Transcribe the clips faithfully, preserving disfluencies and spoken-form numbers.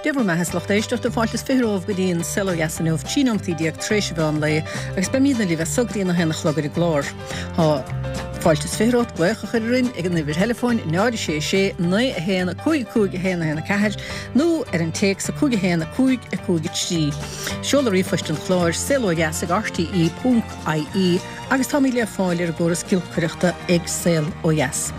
Dé bhur mbeatha, a lucht éisteachta, fáilte is fiche romhaibh go dtí an Saol Ó Dheas inniu, trí nóimeataí déag tar éis an mheán lae, agus beimidne libh as so go dtí an a haon a chlog ar an gclár. Tá fáilte is fiche romhat glaoch a chur orainn ag an uimhir theileafóin náid a sé sé naoi a haon a cúig a cúig a haon a haon a ceathair nó ar an téacs a cúig a haon a cúig a cúig a trí. Seoladh ríomhphoist an chláir, saolodheas ag R T E ponc I E, agus táimid le fáil ar an gcóras giolcaireachta ag Saol Ó Dheas.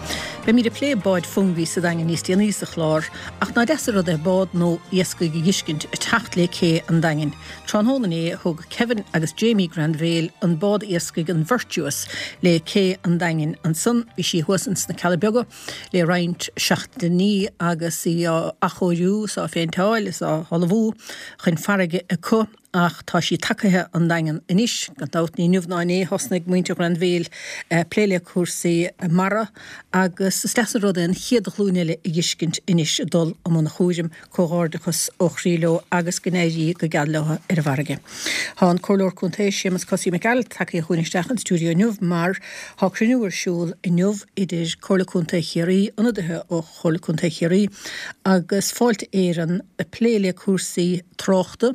Beimid ag plé báid Fungie sa Daingean níos déanaí sa chlár, ach ná deas an rud é bád nó iascaigh a dh'fheiscint ag teacht le cé an Daingin. Tráthnóna inné thug Kevin agus Jamie Granville an bád iascaigh an Virtuous le cé an Daingin. Ansan bhí sí thuas ins na Cealla Beaga le roinnt seachtainí agus í á athchóiriú is á phéinteáil is á hullmhú chun farraige acu, ach tá sí tagaithe an Daingean anois. Gan dabht ní inniu ná inné thosnaigh muintir Ghranville plé le cúrsaí mara, agus is deas an rud é an chéad ghlúin eile a dh'fheiscint anois ag dul i mbun a chúraim. Comhghairdeachas ó chroí leo agus go n-éirí go geal leo ar an bhfarraige. Tá an Comhairleoir Contae Séamus Cosaí Mac Gearailt tagtha chugainn isteach an stiúideo inniu mar tá cruinniú ar siúl inniu idir Comhairle Contae Chiarraí, ionadaithe ó Chomhairle Contae Chiarraí agus Fáilte Éireann, ag plé le cúrsaí tráchta,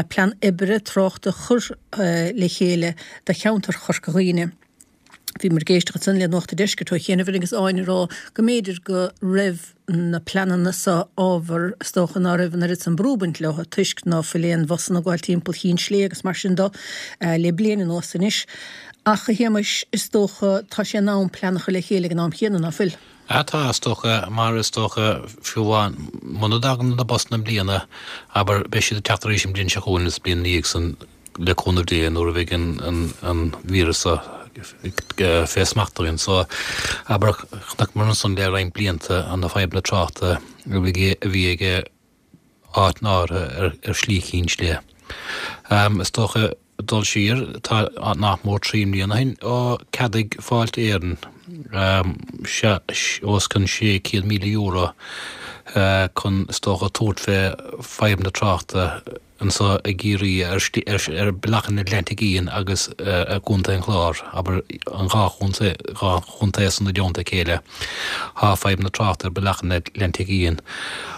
plean oibre tráchta chur le chéile do cheantar Chorca Dhuibhne. Bhíomar ag éisteacht ansan le Nuacht an Deiscirt ó chianaibh agus Áine ag rá go mb'fhéidir go raibh na pleananna seo ábhar is dócha ná raibh an oiread san brú ag baint leo toisc ná fuil aon bhusanna ag gabháil timpeall Chinn Slé agus mar sin do le bliain anuas anois. Ach a Shéamais, is dócha tá sé in am plean a chur le chéile ag an am chéanna, ná fuil? Ah tá, is dócha, mar is dócha fiú amháin muna dtagann na busanna i mbliana, abair, beidh siad ag teacht arís an bhliain seo chugainn is bliain ina dhiaidh san le cúnamh Dé nuair a bheidh an an an víreas seo fé smacht againn. So, abair, chonaiceamar ansan le roinnt blianta na fadhbanna tráchta a bhí ag áiteanna áirithe ar ar Shlí Chinn Sléibhe. Is dócha dul siar, tá nach mór trí mbliana ó shin ó ceadaigh Fáilte Éireann os cionn sé chéad míle euro chun is dócha tabhairt fé fadhbanna tráchta anseo i gCiarraí ar ar Bealach an Atlantaigh Fhiáin agus i gContae an Chláir, abair an dhá chontae dhá chontae san i dteannta a chéile. Tá fadhbanna tráchta ar Bealach an Atlantaigh Fhiáin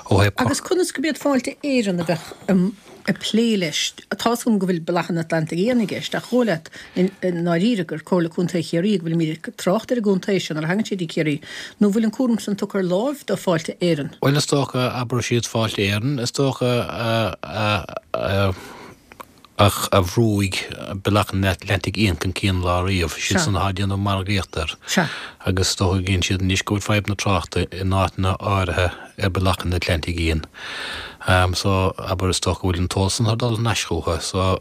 ó thaobh Agus conas go mb'iad Fáilte Éireann a bheadh ag plé leis? Tá's agam go bhfuil Bealach an Atlantaigh Fhiáin i gceist, ach dhóigh leat i ndáiríre gur Comhairle Contae Chiarraí go bhfuilimid ag trácht ar an gcontae seo nuair a thagann sé dtí Ciarraí, nó bhfuil an cúram san tugtha ar láimh do Fáilte Éireann? Bhuel, is dócha, abair siad Fáilte Éireann, is dócha a a bhrúigh Bealach an Atlantaigh Fhiáin chun cinn lá riamh, siad san atá ag déanamh margaíocht air. Sea. Agus is dócha go gcíonn siad anois go bhfuil fadhb na tráchta in áiteanna áirithe ar Bealach an Atlantaigh Fhiáin. So, abair, is dócha go bhfuil an t-eolas san ag dul thar n-ais chucu. So,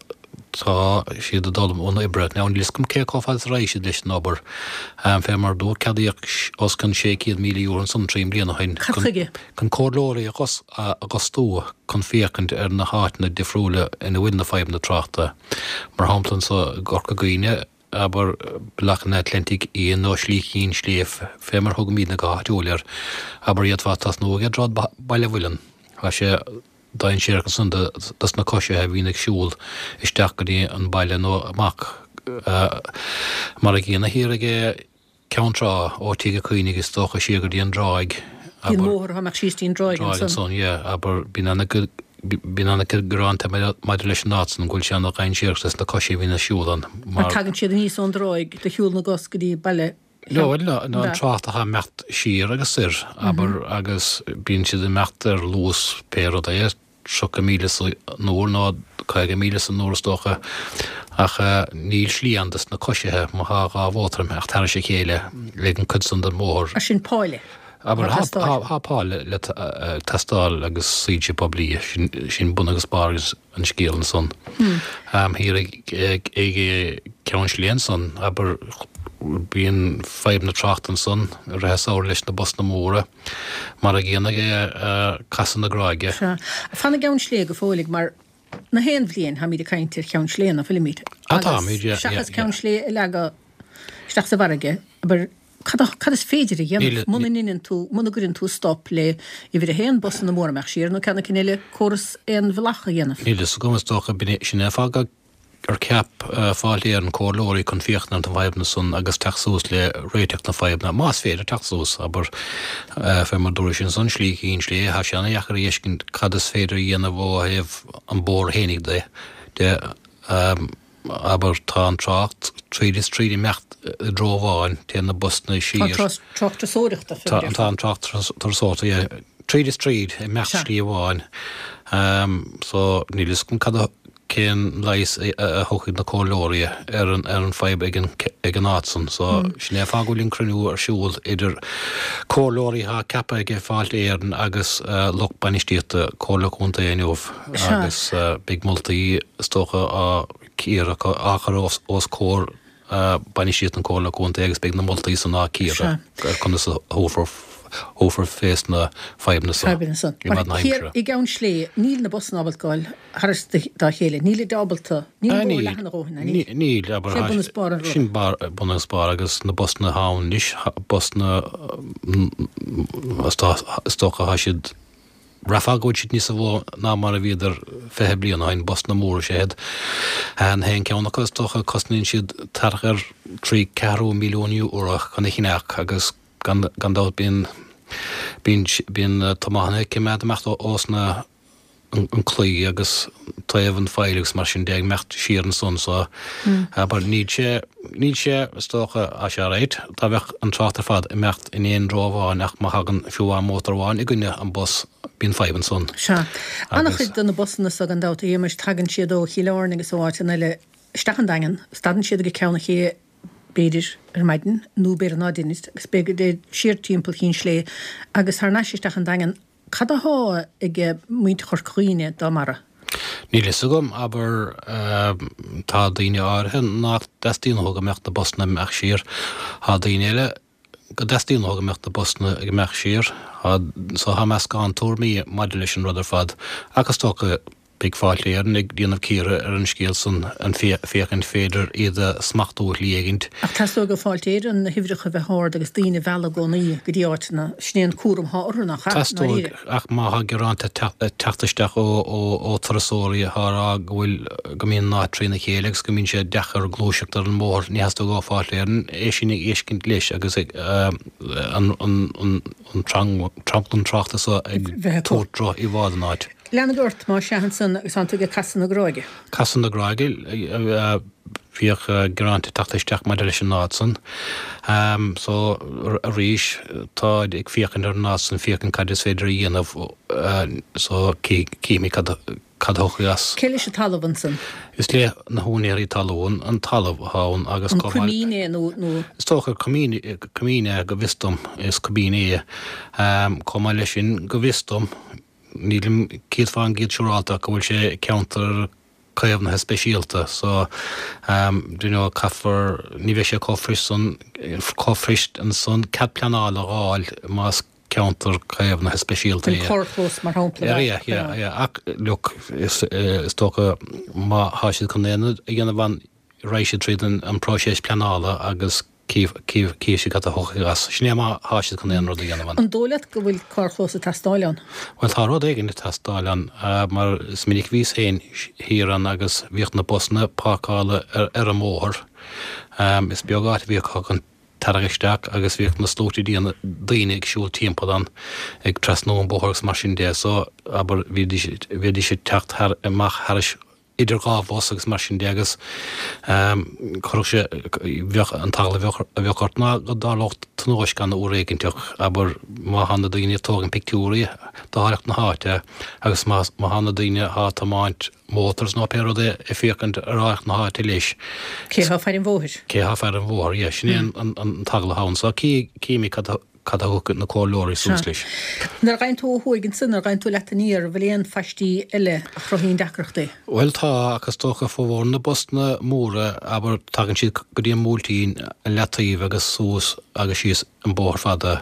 tá siad ag dul i mbun oibre. Now, níl fhios agam cé chomh fada is a raghaidh siad leis an obair. Fé mar a dúirt, ceadaíodh os cionn sé chéad míle euro ansan trí mbliana ó shin Cad chuige? chun comhairleoirí a fhostú chun féachaint ar na háiteanna difriúla ina bhfuil na fadhbanna tráchta. Mar shampla anso i gCorca Dhuibhne, abair, Bealach an Atlantaigh Fhiáin nó Slí Chinn Sléibhe, fé mar thugaimidne go háitiúil air, abair, d'fhéadfá tosnú ag Droichead Baile Mhuilinn. Tá sé dainséarach ansan dos na coisithe a bhíonn ag siúl isteach go dtí an baile nó amach. Mar a gcéanna thiar ag Ceann Trá, ó Tigh a' Chaonaigh is dócha siar go dtí an dtráigh, Dtí an bóthar atá amach síos dtí an dtráigh ansan. Ansan, yeah, abair, bíonn ana, bíonn ana-chuid gearán maidir leis an áit san, go bhfuil sé ana-dhainséarach dos na coisithe a bhíonn ag siúl ann mar. Mar tagann siad aníos ón dtráigh de shiúl na gcos go dtí baile No, bhuel, no, an trácht atá ag imeacht siar agus soir, abair, agus bíonn siad ag imeacht ar luas pé rud é, tríocha míle san uair nó caoga míle san uair is dócha, ach níl slí ann dos na coisithe má thá dhá mhótar ag imeacht thairis a chéile ag an cuid san den bhóthar. Mar sin páille Abair, tá, tá páille le teastáil agus soilse poiblí, sin bun agus barr an scéil ansan. Thiar ag Ceann Sléibhe ansan, abair, bíonn fadhbanna tráchta ansan i rith an samhraidh leis na busanna móra, mar a gcéanna ag Casadh na Gráige. Sea. Fan i gCeann Sléibhe go fóilligh, mar na haon bhliain táimid ag caint ar Cheann Sléibhe, ná fuilimid? Ah, táimid, yeah, yeah. Seachas Ceann Sléibhe a leagadh isteach sa bhfarraige, abair, Cad cad is féidir a dhéanamh muna ndeineann tú, muna gcuireann tú stop le uimhir a haon, busanna móra imeacht siar, nó ceann éicint eile, córas aon bhealach a dhéanamh? Níl fhios agam, is dócha, sin é an fáth go ar cheap Fáilte Éireann comhairleoirí chun féachaint ar na fadhbanna san agus teacht suas le réiteach na fadhbanna, más féidir teacht suas, abair, fé mar dúrais ansan, Slí Chinn Sléibhe, tá sé ana-dheacair a fheiscint cad is féidir a dhéanamh ó thaobh an bóthar fhéinig de, de, abair, tá an trácht tríd is tríd ag imeacht i dtreo amháin, téann na busanna siar. Tá an trácht turasóireachta, fé mar a déarfá. Tá an trácht turasóireachta, yeah, tríd is tríd ag imeacht slí amháin. So, níl fhios agam cad a cén leigheas a thiocfaidh na comhairleoirí ar an ar an fadhb ag an ag an áit san. So, sin é an fáth go bhfuil an cruinniú ar siúl idir comhairleoirí atá ceaptha ag Fáilte Éireann agus lucht bainistíochta Comhairle Contae inniu agus beidh moltaí is dócha á cíoradh acu, á chur os os comhair bainistíocht na Comhairle Contae agus beidh na moltaí san á cíoradh ar conas a thabharfar thabharfar fés na fadhbanna san Fadhbanna san. i Mar bhfad na thiar haimsire. i gCeann Sléibhe, níl na busanna ábalta goil thar dá chéile. Nílid ábalta, níl Ah, an bóthar níl. leathan a dhóthain, ná níl? Níl, abair, Sé bun is barr an ruda. sin barr, bun agus barr agus na busanna atá ann anois, busanna, is dócha, tá siad, Bhraithfeá go bhfuil siad níosa mhó ná mar a bhíodar fiche bliain ó shin, busanna móra is ea iad. An haon ceann acu is dócha cosnaíonn siad thart ar trí ceathrú milliún euro chun a cheannach agus gan gan dabht bíonn bíonn bíonn tiománaithe ag coimeád amach ós na an claí agus taobh an phoill agus mar sin de ag imeacht siar ansan so abair níl sé níl sé is dócha tá sé alright dá bheadh an trácht ar fad ag imeacht in aon treo amháin ach má thagann fiú amháin mótar amháin i gcoinne an bus bíonn fadhb ansan. Sea. Agus. An-chuid de na busanna so gan dabht a Shéamais tagann siad ó Chill Airne agus ó áiteanna eile isteach an Daingean, stadann siad ag Ceann an Ché b'fhéidir ar maidin nó b'fhéidir ná deinid agus b'fhéidir siar timpeall Chinn Sléibhe agus thar n-ais isteach an Daingean. Cad athá ag muintir Chorca Dhuibhne dá mbarra? Níl fhios agam, abair, tá daoine áirithe nach dteastaíonn uathu go mbeadh na busanna ag imeacht siar, tá daoine eile go dteastaíonn uathu go mbeadh na busanna ag imeacht siar, tá, so tá meascán tuairmí maidir leis an rud ar fad ach is dócha Beidh Fáilte Éireann ag déanamh cíoradh ar an scéal san, an féachaint féidir iad a smachtú shlí éigint. Ach teastóidh ó Fáilte Éireann na huimhreacha a bheith ard agus daoine a mhealladh i gcónaí go dtí áiteanna. Sin é an cúram atá orthu, nach ea, i Teastóidh, ndáiríre? ach má thá gearáin ag teacht isteach ó turasóirí atá a rá go bhfuil, go mbíonn an áit trína chéile agus go mbíonn sé deacair gluaiseacht ar an mbóthar, ní theastóidh ó Fáilte Éireann é sin a fheiscint leis agus ag an an tranglam tráchta so ag Bheith acu. tabhairt droch-íomhá den áit. Lean ort, más ea ansan agus tánn tú ag Casadh na Gráige. Casadh na Gráige, bhíodh gearáin ag teacht isteach maidir leis an áit san. So arís táid ag féachaint ar an áit san, féachaint cad is féidir a dhéanamh so cífimid cad cad a thiocfaidh as. Cé leis an talamh ansan? Is le na húinéirí talún an talamh atá ann agus An coimín é nó nó? Is dócha coimín coimín é go bhfios dom, is coimín é. Chomh maith leis sin go bhfios dom, Nílim céad fán gcéad siúrálta ach go bhfuil sé i gceantar caomhnaithe speisialta so do you know caithfear, ní bheidh sé chomh fuirist san, chomh fuirist ansan cead pleanála a dh'fháil más ceantar caomhnaithe speisialta An é. carrchlós mar shampla Yeah, yeah, yeah, yeah ach look is is dócha má thá siad chun aon rud a dhéanamh ann raghaidh siad tríd an an próiseas pleanála agus Cífidh siad cad a thiocfaidh as. Sin é má thá siad chun aon rud a dhéanamh ann. An dóigh leat go bhfuil carrchlós ag teastáil ann? Bhuel, tá rud éigin ag teastáil ann, mar is minic a bhíos féin thiar ann agus bhíodh na busanna páirceála ar an mbóthar. Is beag áit a bhí acu chun tarrac isteach agus bhíodh na sluaite daoine ag siúl timpeall ann, ag trasnú an bóthar agus mar sin de. So, abair, bhídís ag teacht amach thairis idir dhá bhus agus mar sin de agus chuirfeadh sé, bheadh, an t-eagla a bheadh, a bheadh ort ná go dtarlódh tionóisc ann uair éiginteach, abair, má thá na daoine ag tógaint pictiúirí d'áilleacht na háite agus má, má thá na daoine athá ag tiomáint mótars nó pé rud é ag féachaint ar áilleacht na háite leis. Cé thá fear an bhóthair? Cé thá fear an bhóthair, yeah, sin é an, an, an t-eagla athá ann. So cí, címid cad a, Cad a thiocfaidh na comhairleoirí suas leis? Nuair a ghabhann tú ó thuaidh ansin, nuair a ghabhann tú leat aniar, an bhfuil aon phaistí eile a chruthaíonn deacrachtaí? Bhuel tá, ach is dócha formhór na busanna móra, abair, tagann siad go dtí an mBuailtín, an Leataobh agus suas agus síos an bóthar fada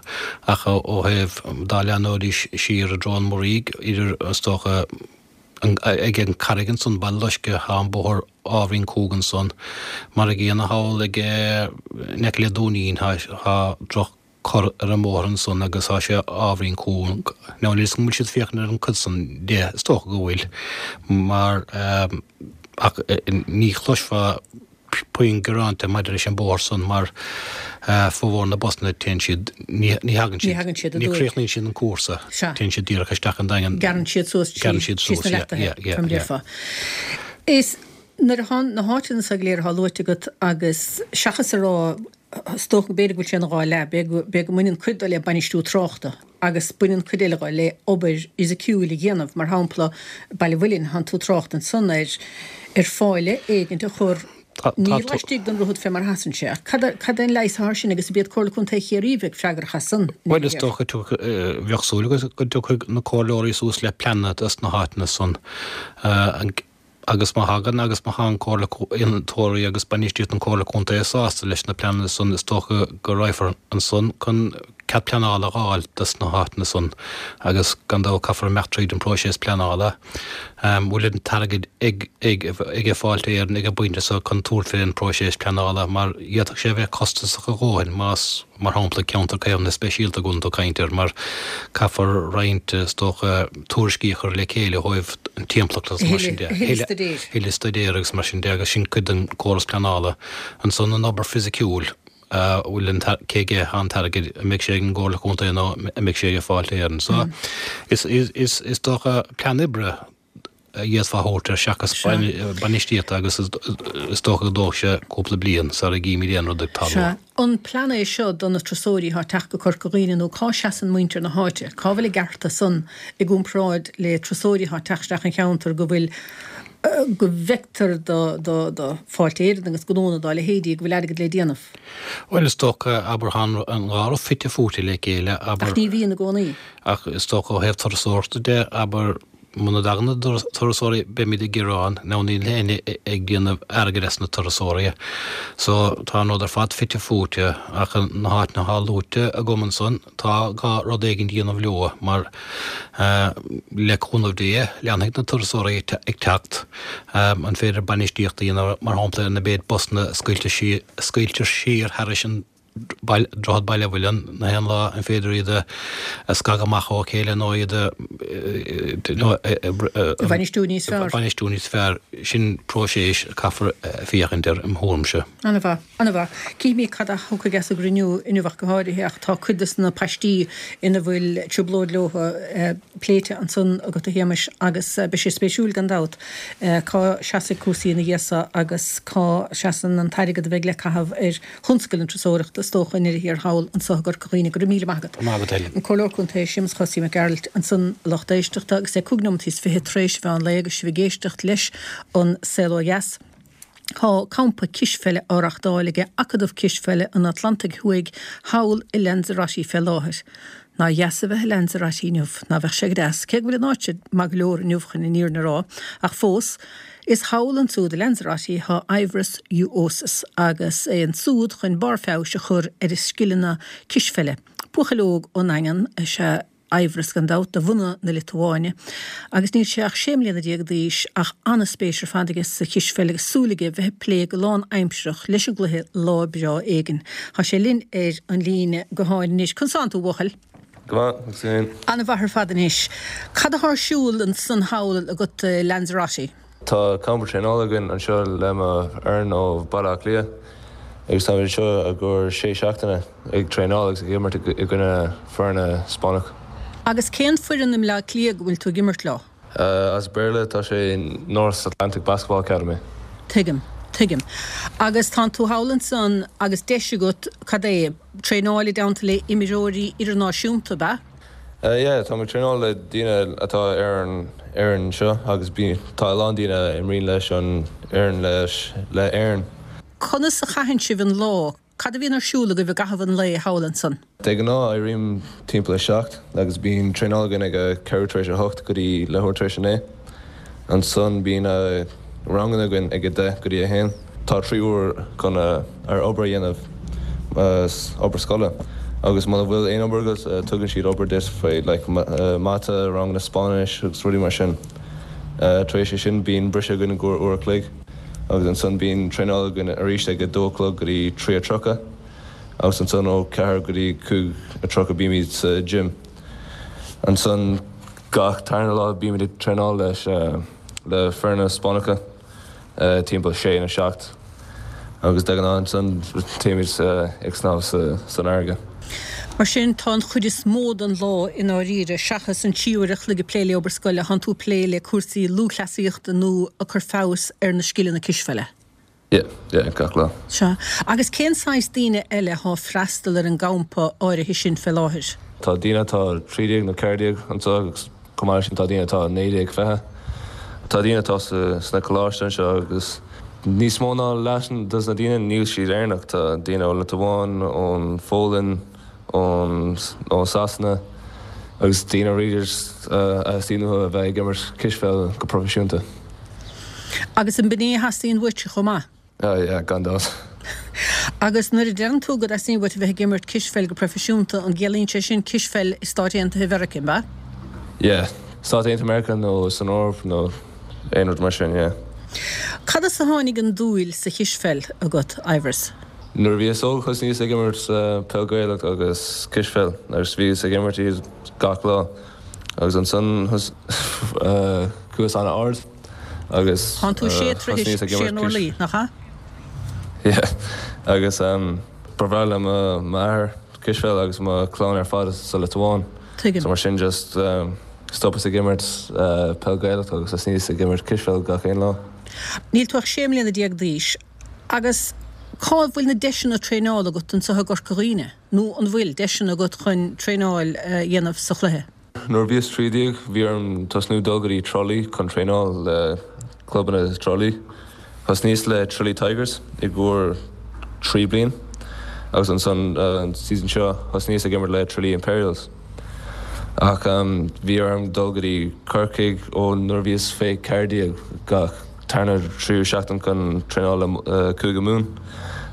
ach ó thaobh, dá leathnóidís siar i dtreo an Mhuirígh, idir, is dócha, ag an Carraig ansan, Baile Loiscthe, tá an bóthar ábhairín cúng ansan. Mar a gcéanna thall ag, in aice le Dúinín, tá droch. cor ar an mbóthar ansan agus tá sé ábhairín cúng. Now níl 'fhios agam an bhfuil siad ag féachaint ar an cuid san de, is dócha go bhfuil, mar Ach ní chloisfeá puinn gearáinte maidir leis an bóthar san mar formhór na busanna téann siad, ní thagann siad, ní chríochnaíonn siad an cúrsa, téann siad díreach isteach an Daingean. Gearrann siad suas Gearrann siad suas, síos na yeah, yeah, leachtaithe, mar a déarfá. Is nuair atá na háiteanna so go léir atá luaite agat agus seachas a rá, is dócha b'fhéidir go bhfuil sé ina dhá leath, b'fhéidir go mbaineann cuid de le bainistiú tráchta agus baineann cuid eile de le obair fhisiciúil a dhéanamh, mar shampla Baile Mhuilinn, thánn tú ag trácht ansan ar ar pháille éigint a chur ní laistigh den droichead fé mar a sheasann sé, ach cad cad é an leigheas atá air sin agus ab iad Comhairle Contae Chiarraí a bheadh freagrach as san? Bhuel is dócha bheadh súil agat go dtiocfaidh na comhairleoirí suas le pleananna dos na háiteanna san. Agus má thagann agus má tá an Comhairle innealtóirí agus bainistíocht an Comhairle Contae sásta leis na pleananna san is dócha go raghfar ansan chun cead pleanála a dh'fháil dos na háiteanna san agus gan dabht caithfear imeacht tríd an próiseas pleanála. Bhfuil an t-airgead ag ag ag Fáilte Éireann ag an bpointe so chun tabhairt fén próiseas pleanála mar d'fhéadfadh sé a bheith costasach a dhóthain más mar shampla, ceantar caomhnaithe speisialta go bhfuil tú ag caint air, mar caithfear roinnt, is dócha, tuairiscí a chur le chéile ó thaobh an timpeallacht agus mar sin de, thuilleadh staidéir agus mar sin de, agus sin cuid den chóras pleanála. Ansan an obair fisiciúil, a bhfuil an, cé aige atá an t-airgead, an mbeidh sé ag an gComhairle Contae nó an mbeidh sé ag Fáilte Éireann. So, is, is, is dócha plean oibre a d'fhéadfá a thabhairt air seachas bainistíocht agus is dócha go dtógfaidh sé cúpla bliain sara gcímid aon rud ag tarlú. Sea. An plean é seo do na turasóirí atá ag teacht go Corca Dhuibhne nó cá seasann muintir na háite? Cá bhfuil a gcearta san i gcomparáid le turasóirí atá ag teacht isteach an cheantar go bhfuil go bhfeictear do do do Fáilte Éireann agus gnónna dá leithéidí go bhfuil airgead le déanamh? Bhuel is dócha, abair, tá an dhá rud fite fuaite le chéile, abair. Ach ní bhíonn i gcónaí. Ach is dócha ó thaobh turasóireachta de, abair, Muna dtagann na turasóirí beimid ag gearán, nó níl éinne ag déanamh airgid as na turasóirí. So tá an rud ar fad fite fuaite ach na háiteanna atá luaite agam ansan tá gá rud éigin a dhéanamh leo mar le cúnamh Dé leanfaidh na turasóirí ag teacht. An féidir bainistíocht a dhéanamh mar shampla ar na méid busanna a scaoiltear siar thairis an Droichead Baile Mhuilinn na haon lá, an féidir iad a scagadh amach ó chéile nó iad a bhainistiú níos fearr? bhainistiú níos fearr. Sin próiseas a caithfear féachaint air im thuairimse. An-mhaith, an-mhaith. Cífimid cad a thiocfaidh as an gcruinniú inniu ach go háirithe ach tá cuid de na paistí ina bhfuil trioblóid leo pléite ansan agat a Shéamais agus beidh sé spéisiúil gan dabht cá seasfaidh cúrsaí ina dhiaidh so agus cá seasann an t-airgead a bheidh le caitheamh ar thionscal na turasóireachta, is dócha, i ndeireadh thiar thall anso i gCorca Dhuibhne. Go raibh míle maith agat. Maith agat, Helen. An Comhairleoir Contae Séamus Chosaí Mac Gearailt ansan, a lucht éisteachta, agus é cúig nóimeataí is fiche tar éis an mheán lae agus sibh ag éisteacht leis an Saol Ó Dheas. Tá campa cispheile á reachtáil aige Acadamh Cispheile an Atlantaigh Thuaidh thall i Lanzarote fé láthair. Nár dheas a bheith i Lanzarote inniu, ná bheadh sé go deas, cé go bhfuil an áit maith go leor inniu chun an fhírinne a rá, ach fós, is thall ansúd i Lanzarote thá Aivaras Uosis agus é ansúd chun barr feabhais a chur ar a scileanna cispheile. Buachaill óg ón nDaingean is ea Aivaras gan dabht, de bhunadh na Liotuáine, agus níl sé ach sé mbliana déag d'aois ach an-spéis ar fad aige sa chispheil agus súil aige bheith ag plé go lán-aimsearach leis an gcluiche lá breá éigin. Tá sé linn ar an líne gutháin anois. Conas tánn tú, a bhuachaill? Go maith, agus tú féin? An-mhaith ar fad anois. Cad athá ar siúl ansan thall agat i Lanzarote? Tá campa traenála againn anseo le mo fhoireann ó Bhaile Átha Cliath agus táimid anseo i gcomhair sé seachtaine ag traenáil agus ag imirt i gcoinne foirne Spáinneach. Agus cén foireann i mBleá Cliath go bhfuil tú ag imirt leo? As Béarla tá sé North Atlantic Basketball Academy. Tuigim, tuigim. Agus tánn tú thall ansan agus deis agat, cad é, traenáil i dteannta le imreoirí idirnáisiúnta, ab ea? Yeah, táim ag traenáil le daoine atá ar an fhoireann seo agus bíonn, tá a lán daoine a imríonn leis an fhoireann leis, le Éirinn. Conas a chaitheann sibh an lá? Cad a bhíonn ar siúl agaibh i gcaitheamh an lae thall ansan? De ghnáth éirím timpeall a seacht agus bíonn traenáil againn ag a ceathrú tar éis a hocht go dtí leathuair tar éis a naoi. Ansan bíonn ranganna againn ag a deich go dtí a haon. Tá trí uair chun ar obair a dhéanamh, obair scoile, agus muna bhfuil aon obair agat tugann siad obair duit faoi like mata, ranganna Spáinnis agus rudaí mar sin. Tar éis é sin bíonn briseadh againn i gcomhair uair a chloig agus ansan bíonn traenáil againn arís ag a dó a chlog go dtí trí a tríocha agus ansan ó ceathair go dtí cúig a tríocha bímid sa gym. Ansan gach tarna lá bímid ag traenáil leis le foirne Spáinneacha. timpeall sé nó seacht agus de ghnáth ansan téimid ag snámh san fharraige. Mar sin, tá an chuid is mó den lá i ndáiríre, seachas an trí uair a chloig ag plé le obair scoile, tánn tú ag plé le cúrsaí lúthchleasaíochta nó ag cur feabhas ar na scileanna cispheile. Yeah, yeah, gach lá. Sea. Agus cén saghas daoine eile atá ag freastal ar an gcampa áirithe sin fé láthair? Tá daoine atá trí déag nó ceathair déag anseo agus chomh maith leis sin tá daoine atá naoi déag, fiche. Tá daoine atá sna coláiste anseo agus níos mó ná leath dos na daoine níl siad Éireannach. Tá daoine ón Liotuáin, ón Pholainn, ón ó Sasana agus daoine really a theastaíonn uathu a bheith ag imirt cispheil go proifisiúnta. Agus an b'in é a theastaíonn uait chomh maith? Oh yeah, gan dabht. Agus nuair a deireann tú go dteastaíonn uait a bheith ag imirt cispheil go proifisiúnta, an gciallaíonn sé sin cispheil i Stáit Aontaithe Mheiriceá, an ea? Yeah, Stáit Aontaithe Meiriceá nó san Eoraip nó aon rud mar sin, yeah. Cad as a tháinig an dúil sa chispheil agat, Ivers? Nuair a bhíos óg thosnaíos ag imirt peil Gaelach agus cispheil agus bhíos ag imirt iad gach lá agus ansan chuas an-ard agus Tánn tú sé troithe thosnaíos ag sé imirt n-orlaí, nach ea? Yeah agus ba bhreá le m'athair cispheil agus mo chlann ar fad sa Liotuáin. Tuigim. So mar sin just stopas ag imirt peil Gaelach agus thosnaíos ag imirt cispheil gach aon lá. Níl tú ach sé mbliana déag d'aois agus cá bhfuil na deiseanna traenála agat anseo i gCorca Dhuibhne nó an bhfuil deiseanna agat chun traenáil a dhéanamh sa chluiche? Nuair a bhíos trí déag bhí orm tosnú dul go dtí Tralee chun traenáil le clubanna Tralee. Thosnaíos le Tralee Tigers i gcomhair trí bliain agus ansan an season seo thosnaíos ag imirt le Tralee Imperials. Ach bhí orm dul go dtí Corcaigh ó nuair a bhíos fé ceathair déag gach tarna tríú seachtain chun traenáil le Cúige Mumhan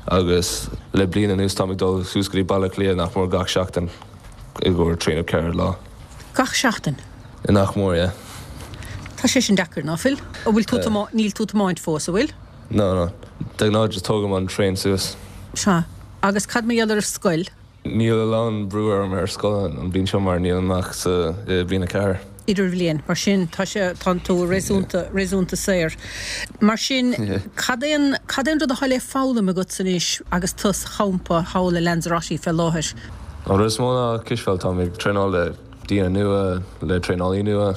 agus le bliain anuas táim ag dul suas go dtí Baile Átha Cliath nach mór gach seachtain i gcomhair trí nó ceithre lá. Gach seachtain? Nach mór, yeah. Tá sé sin deacair, ná fuil? An bhfuil tú níl tú ag tiomáint fós, an bhfuil? No, no. De ghnáth just tógaim an traein suas. Sea. Agus cad mar gheall ar an scoil? Níl a lán brú orm ar scoil an bhliain seo mar nílim ach sa bhliain a ceathair. Idirbhliain, mar sin tá sé, tánn tú réasúnta, réasúnta saor. Mar sin, cad é an, cad é an rud atá le foghlaim agat anois agus tú sa champa thall i Lanzarote fé láthair? An rud is mó ná cispheil, táim ag traenáil le daoine nua, le traenálaí nua.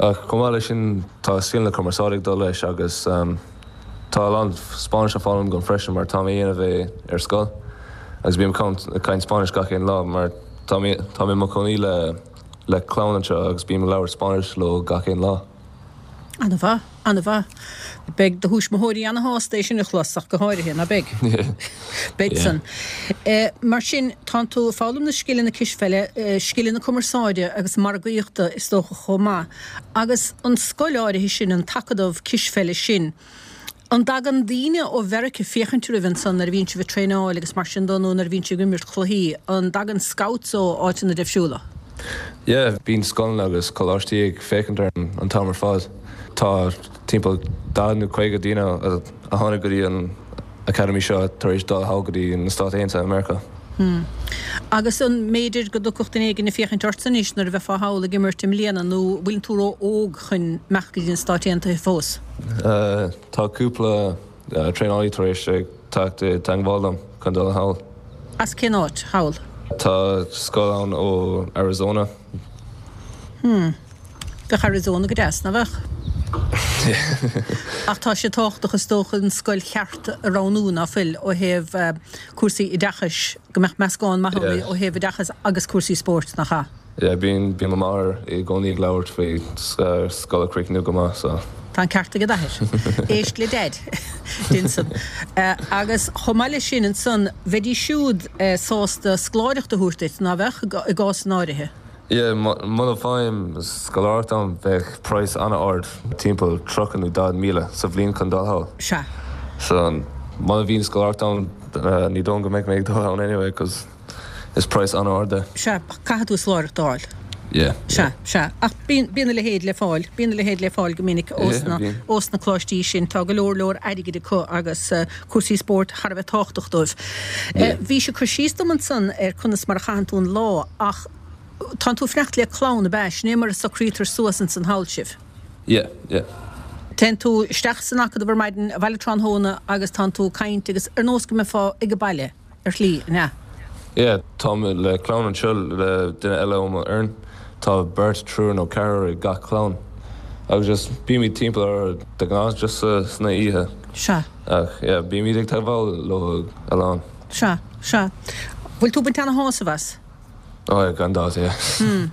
Ach chomh maith leis sin tá scileanna cumarsáide ag dul leis agus tá a lán Spáinnis á foghlaim agam freisin mar táim á dhéanamh é ar scoil agus bím ag caint Spáinnis gach aon lá mar tá mé tá mé i mo chónaí le le clann anseo agus bím ag labhairt Spáinnis leo gach aon lá. An-mhaith, an-mhaith. Beidh do thuismitheoirí ana-shásta é sin a chlos ach go háirithe, ná beidh? Beidh san. Mar sin, tánn tú ag foghlaim na scileanna cispheile, scileanna cumarsáide agus margaíochta is dócha chomh maith. Agus an scoil áirithe sin, an t-acadamh cispheile sin, an dtagann daoine ó Mheiriceá féachaint oraibh ansan nuair a bhíonn sibh ag traenáil agus mar sin de nó nuair a bhíonn sibh ag imirt cluichí, an dtagann scouts ó áiteanna difriúla? Yeah, bíonn scoileanna agus coláistí ag féachaint orainn an t-am ar fad. Tá timpeall daichead nó caoga daoine a tháinig go dtí an academy seo tar éis dul thall go dtí na Stáit Aontaithe Meiriceá. Hmm. Agus an mb'fhéidir go dtiocfadh duine éigin ag féachaint ortsa anois nuair a bheifeá thall ag imirt i mbliana nó bhfuileann tú ró-óg chun imeacht go dtí na Stáit Aontaithe fós? Tá cúpla traenálaí tar éis teacht i dteangmháil liom chun dul thall. As cén áit thall? Tá scoil ann ó Arizona. Hmm. Bheadh Arizona go deas, ná bheadh? Ach tá sé tábhachtach is dócha an scoil cheart a roghnú, ná fuil, ó thaobh cúrsaí oideachais, go mbeadh meascán maith ann ó thaobh oideachais agus cúrsaí spóirt, nach ea? Yeah, bíonn bíonn mo mháthair i gcónaí ag labhairt faoi scoil a chríochnú go maith, so. Tá an ceart ag d'athair. Éist le Deaid. Dein san. Agus chomh maith leis sin ansan, bheidís siúd sásta scoláireacht a thabhairt duit, ná bheadh, i gcásanna áirithe? Yeah, muna bhfaighim scoláireacht ann bheadh praghas an-ard, timpeall tríocha nó daichead míle sa bhliain chun dul thall. Sea. So, muna bhíonn scoláireacht ann ní dóigh go mbeidh mé ag dul ann anyway 'cause is praghas an-ard é. Sea, caithfidh tú scoláireacht a fháil. Yeah. Sea, sea. Ach bíonn, bíonn a leithéid le fáil, bíonn a leithéid le fáil go minic ós na, ós na coláistí sin. Tá go leor, leor airgid acu agus cúrsaí spóirt thar a bheith tábhachtach dóibh. Bhís ag cur síos dom ansan ar conas mar a chaitheann tú an lá ach tánn tú ag fanacht le clann, ab ea? Sin é mar a socraítear suas ansan thall sibh? Yeah, yeah. Téann tú isteach san acadamh ar maidin, abhaile tráthnóna agus tánn tú ag caint agus ar nós go mbeifeá ag baile ar shlí, an ea? Yeah, táim le clann anseo le duine eile ó mo fhoireann. Tá beirt, triúr nó ceathrar ag gach clann. Agus just bímid timpeall orthu de ghnáth just sna oíche. Sea. Ach yeah, bímid ag teagmháil leo a lán. Sea, sea. Bhfuil tú ag baint ana-shásamh as? Oh yeah, gan dabht, yeah. Hmm.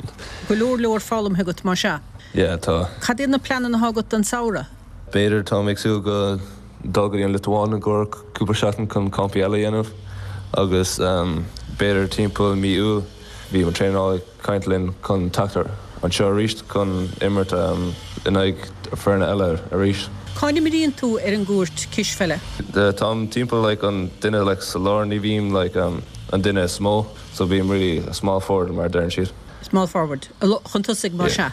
Go leor leor foghlamtha agat mar sea? Yeah, tá. Cad iad na pleananna atá agat don samhradh? B'fhéidir, táim ag súil go dul go dtí an Liotuáin i gcomhair cúpla seachtain chun campaí eile a dhéanamh agus b'fhéidir timpeall mí Iúil bhí mo traenálaí ag caint linn chun teacht anseo arís chun imirt in aghaidh foirne eile arís. Cá n-imríonn tú ar an gcúirt cispheile? Táim timpeall like an duine like sa lár, ní bhím like an duine is mó so bím really a small forward mar a deireann siad. Small forward, chun tosaigh mar sea.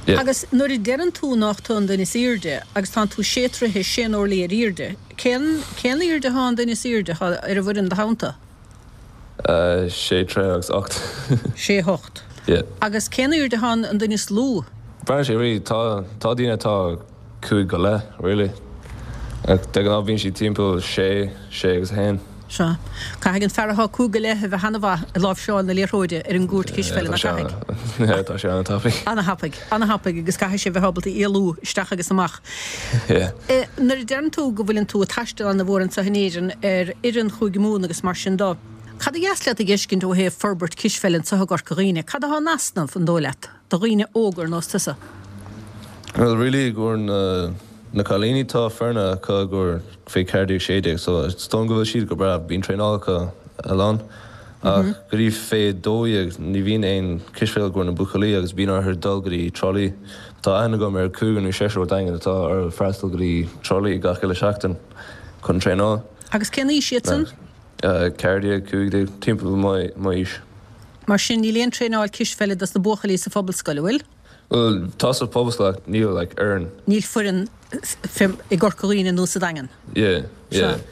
Yeah. Agus nuair a deireann tú nach tú an duine is airde agus tánn tú sé troithe sé orlaí ar airde, cén cén airde atá an duine is airde atá ar an bhfoireann do theannta? Uh, sé troithe agus ocht. Sé hocht. Yeah. Agus cén airde atá an duine is lú? Braitheann sé really, tá tá daoine atá cúig go leith, really. Ach de ghnáth bíonn siad timpeall sé, sé agus a haon. Sea. Caithfidh an fear atá cúig go leith a bheith ana-mhaith ag láimhseáil na liathróide ar an gcúirt cispheile, nach gcaithfidh? Yeah, tá sé an-tapaidh. Ana-thapaidh, ana-thapaidh agus caithfidh sé bheith ábalta éalú isteach agus amach. Yeah. Nuair a deireann tú go bhfuileann tú ag taisteal ana-mhór anseo in Éirinn ar fhoireann Chúige Mumhan agus mar sin de, cad ba dheas leat a dh'fheiscint ó thaobh forbairt cispheile anseo i gCorca Dhuibhne? Cad atá in easnamh, an dóigh leat, do dhaoine óga ar nós tusa? Well, really, i gcomhair na na cailíní tá foirne acu i gcomhair fé ceathair déag sé déag so is dóigh go bhfuil siad go breá, bíonn traenáil acu a lán ach go dtí fé dó dhéag ní bhíonn aon cispheil i gcomhair na buachaillí agus bíonn orthu dul go dtí Trá Lí. Tá aithne agam ar cúigear nó seisear ó Daingean atá orthu freastal go dtí Trá Lí gach uile seachtain chun traenáil. Agus cén aois iad san? Ceathair déag, cúig déag, timpeall m'aois. Mar sin níl aon traenáil cispheile dos na buachaillí sa phobalscoil, an bhfuil? Bhuel, tá sa phobalscoil ach níl like fhoireann. Níl foireann i gCorca Dhuibhne nó sa Daingean. Yeah, yeah. Sea.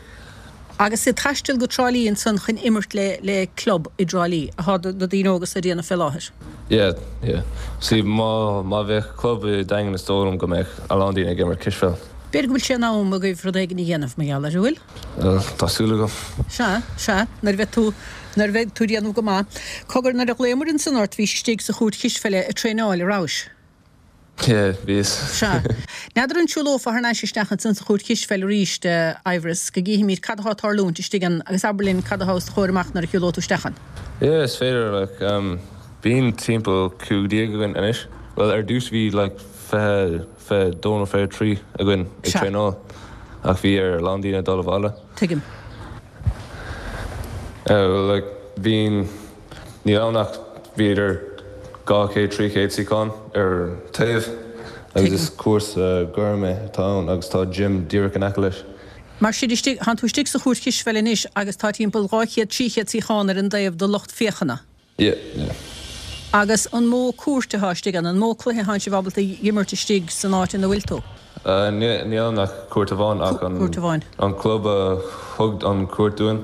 Agus ag taisteal go Trá Lí ansan chun imirt le le club i dTrá Lí atá na daoine óga so ag déanamh fé láthair. Yeah, yeah. See, má má bheadh club i Daingean is dóigh liom go mbeadh a lán daoine ag imirt cispheil. B'fhéidir go bhfuil sé in am agaibh rud éigin a dhéanamh mar gheall air, an bhfuil? Bhuel, tá súil agam. Sea, sea, nuair a bheidh tú, nuair a bheidh tú ag déanamh go maith. Cogar, nuair a ghlaomar ansan ort, bhís istigh sa chúirt chispheile ag traenáil, a rabhais? Yeah, bhíos. Sea. N'fheadar an siúlófá thar n-ais isteach ansan sa chúirt chispheile arís, a Aimhreas, go gcífimid cad atá ag tarlúint istigh ann agus abair linn cad atá os do chomhair amach nuair a shiúlóidh tú isteach ann. Yeah, is féidir, like, um, bíonn timpeall cúig déag againn anois. Bhuel, ar dtús bhí like fiche, fiche dó nó fiche trí againn ag Sea. traenáil ach bhí ar a lán daoine dul abhaile. Tuigim. Bhuel, like, bíonn, níl ann ach b'fhéidir dhá chéad, trí chéad suíochán ar taobh agus Tuigim. is cúrsa gorm é atá ann agus tá gym díreach in aice leis. Mar sin istigh, tánn tú istigh sa chúirt chispheile anois agus tá timpeall dhá chéad, trí chéad suíochán ar an dtaobh do lucht féachana. Yeah, yeah. Agus an mó cúirt atá istigh ann, an mó cluiche atánn sibh ábalta a dh'imirt istigh san áit ina bhfuil tú? Níl ann ach cúirt amháin ach an Cúirt amháin. an club a thug an cúirt dúinn,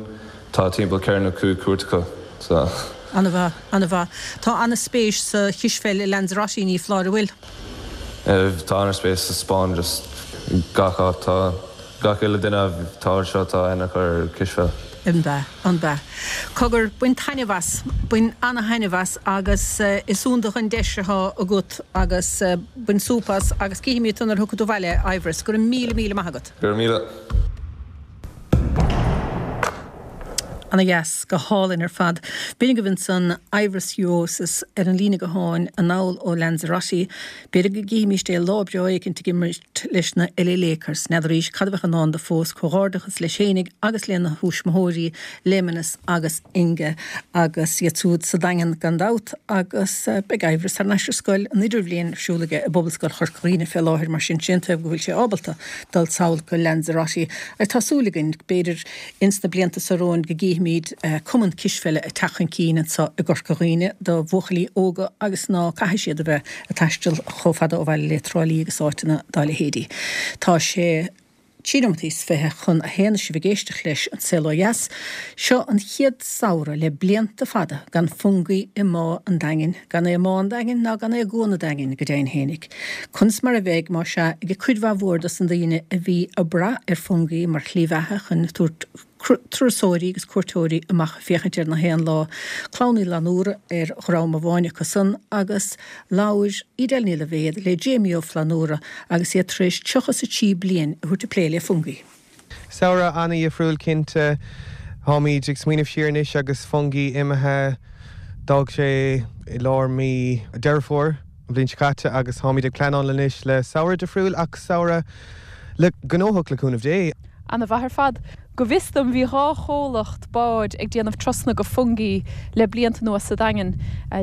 tá timpeall ceithre nó cúig cúirt acu, so. Ana-mhaith, ana-mhaith. Tá ana-spéis sa chispheil i Lanzarote, ní foláir, an bhfuil? Tá ana-spéis sa Spáinn, just gach áit, tá gach uile duine atá anseo tá aithne acu ar cispheil. An b'ea? An b'ea? Cogar, bain taitneamh as, bain ana-thaitneamh as agus is iontach an deis atá agat agus bain súp as agus cífimid tú nuair a thiocfaidh tú abhaile, Aimhreas. Go raibh míle, míle maith agat. Go raibh míle. Ana dheas, go hálainn ar fad. B'in agaibh ansan Aimhreas Juozas ar an líne gutháin anall ó Lanzarote. B'fhéidir go gcífimíst é lá breá éicint ag imirt leis na LA Lakers. N'fheadaraís cad a bheadh i ndán dó fós. Comhghairdeachas leis fhéinig agus lena thuismitheoirí, Laimenis agus Inga, agus iad siúd sa Daingean gan dabht. Agus beidh Aimhreas thar n-ais ar scoil, an idirbhliain ar siúl aige i bPobalscoil Chorca Dhuibhne fé láthair, mar sin, sé an taobh go bhfuil sé ábalta dul sall go Lanzarote. Agus tá súil againn, b'fhéidir, ins na blianta so romhainn go gcífimid cumann cispheile ag teacht chun cinn anso i gCorca Dhuibhne do bhuachaillí óga agus ná caithfidh siad a bheith ag taisteal chomh fada ó bhaile le Trá Lí agus áiteanna dá leithéidí. Tá sé Trí nóimeataí is fiche chun a haon sibh ag éisteacht leis An Saol Ó Dheas. Seo an chéad samhradh le blianta fada gan Fungie i mBá an Daingin, gan é i mBá an Daingin ná gan é i gCuan an Daingin go deimhin fhéinig. Conas mar a bheidh má sea ag cuid mhaith mhór dos na daoine a bhí ag brath ar Fungie mar shlí bheatha chun tabhairt turasóirí agus cuairteoirí amach ag féachaint ar na héanlaith, Clann Uí Fhlannúra ar dhream amháin acu san agus labhair Edel Ní Loibhéad le Jamie Ó Flannúra agus iad tar éis tríocha is a trí bliain a thabhairt ag plé le Fungie. Samhradh an-dhifriúil cinnte. Táimid ag smaoineamh siar anois agus Fungie imithe. D'fhág sé i lár mí Deireadh Fómhair an bhliain seo caite agus táimid ag pleanáil anois le samhradh difriúil ach samhradh le gnóthach le cúnamh Dé. An-mhaith ar fad. Go bhfios dom bhí dhá chomhlacht báid ag déanamh turasanna go Fungie le blianta anuas sa Daingean,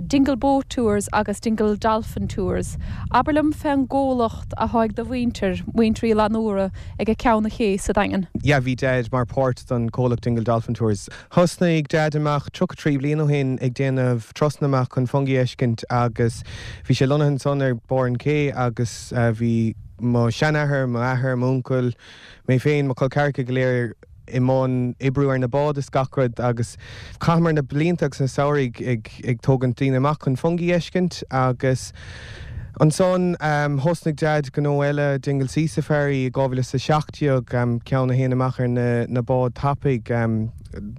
Dingle Boat Tours agus Dingle Dolphin Tours. Abair liom fén gcomhlacht atá ag do mhuintir, muintir Uí Fhlannúra, ag ceann an ché sa Daingean. Yeah, bhí Dad mar páirt don comhlacht Dingle Dolphin Tours. Thosnaigh Dad amach tríocha trí bliain ó shin ag déanamh turasanna amach chun Fungie a fheiscint agus bhí sé lonnaithe ansan ar barr an ché agus bhí mo sheanathair, mo athair, m'uncail, mé féin, mo chol ceathracha go léir i mbun oibriú ar na báid is gach rud agus chaitheamar na blianta agus na samhraidh ag ag tógaint daoine amach chun Fungie a fheiscint agus ansan um, thosnaigh Dad gnó eile Dingle Sea Safari i dhá mhíle is a seacht déag um, ceann a théann amach ar na, na báid tapaidh um,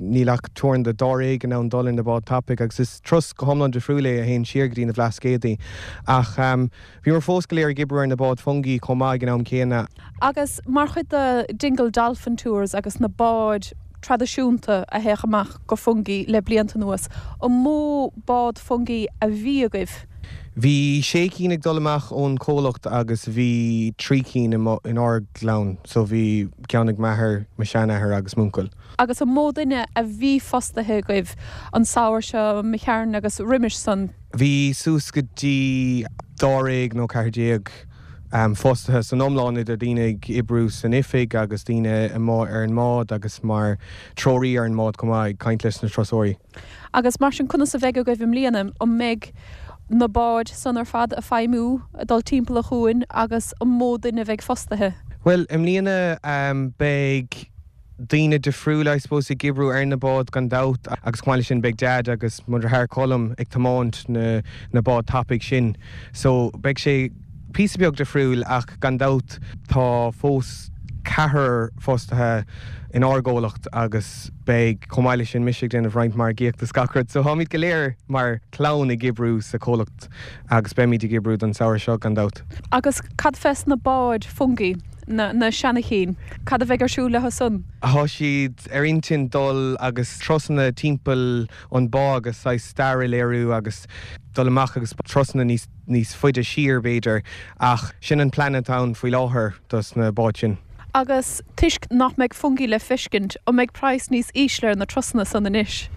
níl ach teorainn de dáréag in ann dul ar na báid tapaidh agus is turas go hiomlán difriúil é a théann siar go dtí na Blascaodaí ach um, bhíomar fós go léir ag oibriú ar na báid Fungie chomh maith ag an am céanna. Agus mar chuid de Dingle Dolphin Tours agus na báid traidisiúnta a théadh amach go Fungie le blianta anuas, an mó bád Fungie a bhí agaibh? Bhí sé cinn ag dul amach ón comhlacht agus bhí trí cinn in ár gclann, so bhí ceann ag m'athair, mo sheanathair agus m'uncail. Agus an mó duine a bhí fostaithe agaibh an samhradh seo imithe tharainn agus roimis san? Bhí suas go dtí dáréag nó ceathair déag um, fostaithe san iomlán idir daoine ag oibriú san oifig agus daoine amuigh ar an mbád agus mar treoraí ar an mbád chomh maith ag caint leis na turasóirí. Agus mar sin conas a bheidh agaibh i mbliana an mbeidh na báid san ar fad ag feidhmiú ag dul timpeall an chuain agus an mó duine a bheidh fostaithe? Well, i mbliana um, beidh daoine difriúla I suppose ag oibriú ar na báid gan dabht agus chomh maith leis sin beidh Dad agus mo dheartháir Colm ag tiomáint na, na báid tapaidh sin. So beidh sé píosa beag difriúil ach gan dabht tá fós ceathrar fostaithe in ár gcomhlacht agus beidh chomh maith leis sin mise ag déanamh roinnt margaíochta is gach rud. So táimid go léir mar chlann ag oibriú sa comhlacht agus beimid ag oibriú don samhradh seo gan dabht. Agus cad fés na báid Fungie na, na seanachinn, cad a bheidh ar siúl leo san? Tá siad ar intinn dul agus turasanna timpeall an bá agus saghas stair a léiriú agus dul amach agus turasanna níos níos faide siar b'fhéidir ach sin an plean atá ann faoi láthair dos na báid sin. Agus toisc nach mbeidh Fungie le feiscint an mbeidh praghas níos ísle ar na turasanna san anois.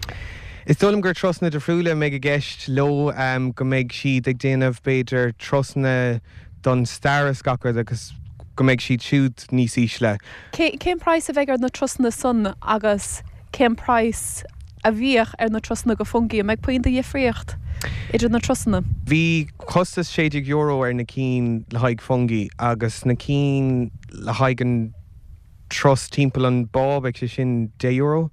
Is dóigh liom gur turasanna difriúla a mbeidh i gceist leo um, go mbeidh siad ag déanamh b'fhéidir turasanna don stair is gach rud agus go mbeidh siad siúd níos ísle. Cén praghas a bheidh ar na turasanna san agus cén praghas a bhíodh ar na turasanna go Fungie an mbeidh puinn de dhifríocht idir na turasanna. Bhí costas sé déag euro ar na cinn le haghaidh Fungie agus na cinn le haghaidh an turas timpeall an bá beidh sé sin deich euro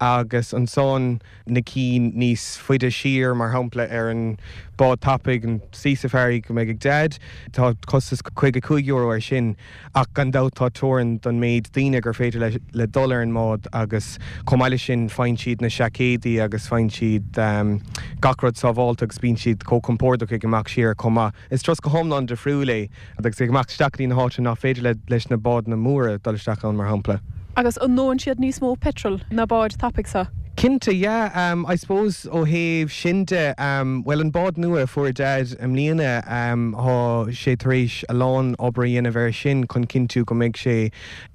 agus ansan na cinn níos faide siar mar shampla ar an bád tapaidh an Sea Safari go mbeidh ag Dad tá costas caoga cúig euro ar sin ach gan dabht tá teorainn don méid daoine gur féidir le, le dul ar an mbád agus chomh maith leis sin faigheann siad na seaicéidí agus faigheann siad um, gach rud sábháilte agus bíonn siad chomh compordach ag imeacht siar chomh maith. Is turas go hiomlán difriúil é agus ag imeacht isteach go dtí na háite nach féidir le, leis na báid na móra dul isteach ann mar shampla. Agus an ndónn siad níos mó petrol na báid tapaidh seo. Cinnte, yeah, um, I suppose ó thaobh sin de um, well an bád nua fuair Dad i mbliana um, tá sé tar éis a lán obair a dhéanamh air sin chun cinntiú go mbeidh sé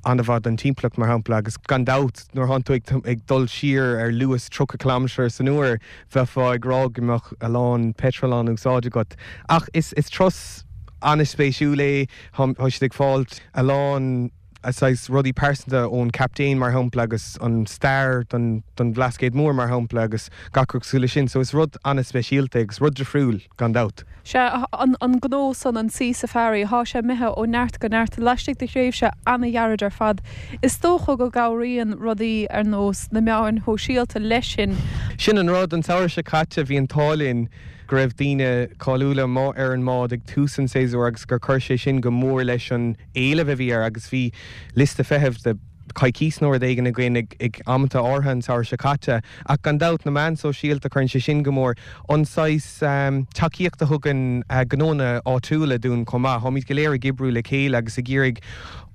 an-mhaith don timpeallacht mar shampla agus gan dabht nuair atá tú ag, ag dul siar ar luas tríocha kilometer san uair bheifeá ag rá go mbeadh a lán petrol á úsáid agat. Ach is, is turas an-spéisiúil é tá siad ag fáilt a lán saghas rudaí pearsanta ón captaen mar shampla agus an stair don don Bhlascaod Mór mar shampla agus gach rud cosúil leis sin, so is rud an-speisialta agus rud difriúil gan dabht. Sea, an an gnó san an Sea Safari, thá sé imithe ó neart go neart laistigh de thréimhse an-ghairid ar fad. Is dócha go gcabhraíonn rudaí ar nós na meáin shóisialta leis sin. Sin an rud, an samhradh seo caite bhí an t-ádh linn go raibh daoine cáiliúla amuigh ar an mbád ag tús an tséasúir agus gur chuir sé sin go mór leis an éileamh a bhí air agus bhí liosta feithimh de coicís nó rud éigin againn ag ag amanta áirithe an samhradh seo caite. Ach gan dabht na meáin sóisialta cuireann sé sin go mór an saghas tacaíocht a thugann gnónna áitiúla dúinn chomh maith. Táimid go léir ag oibriú le chéile agus ag iarraidh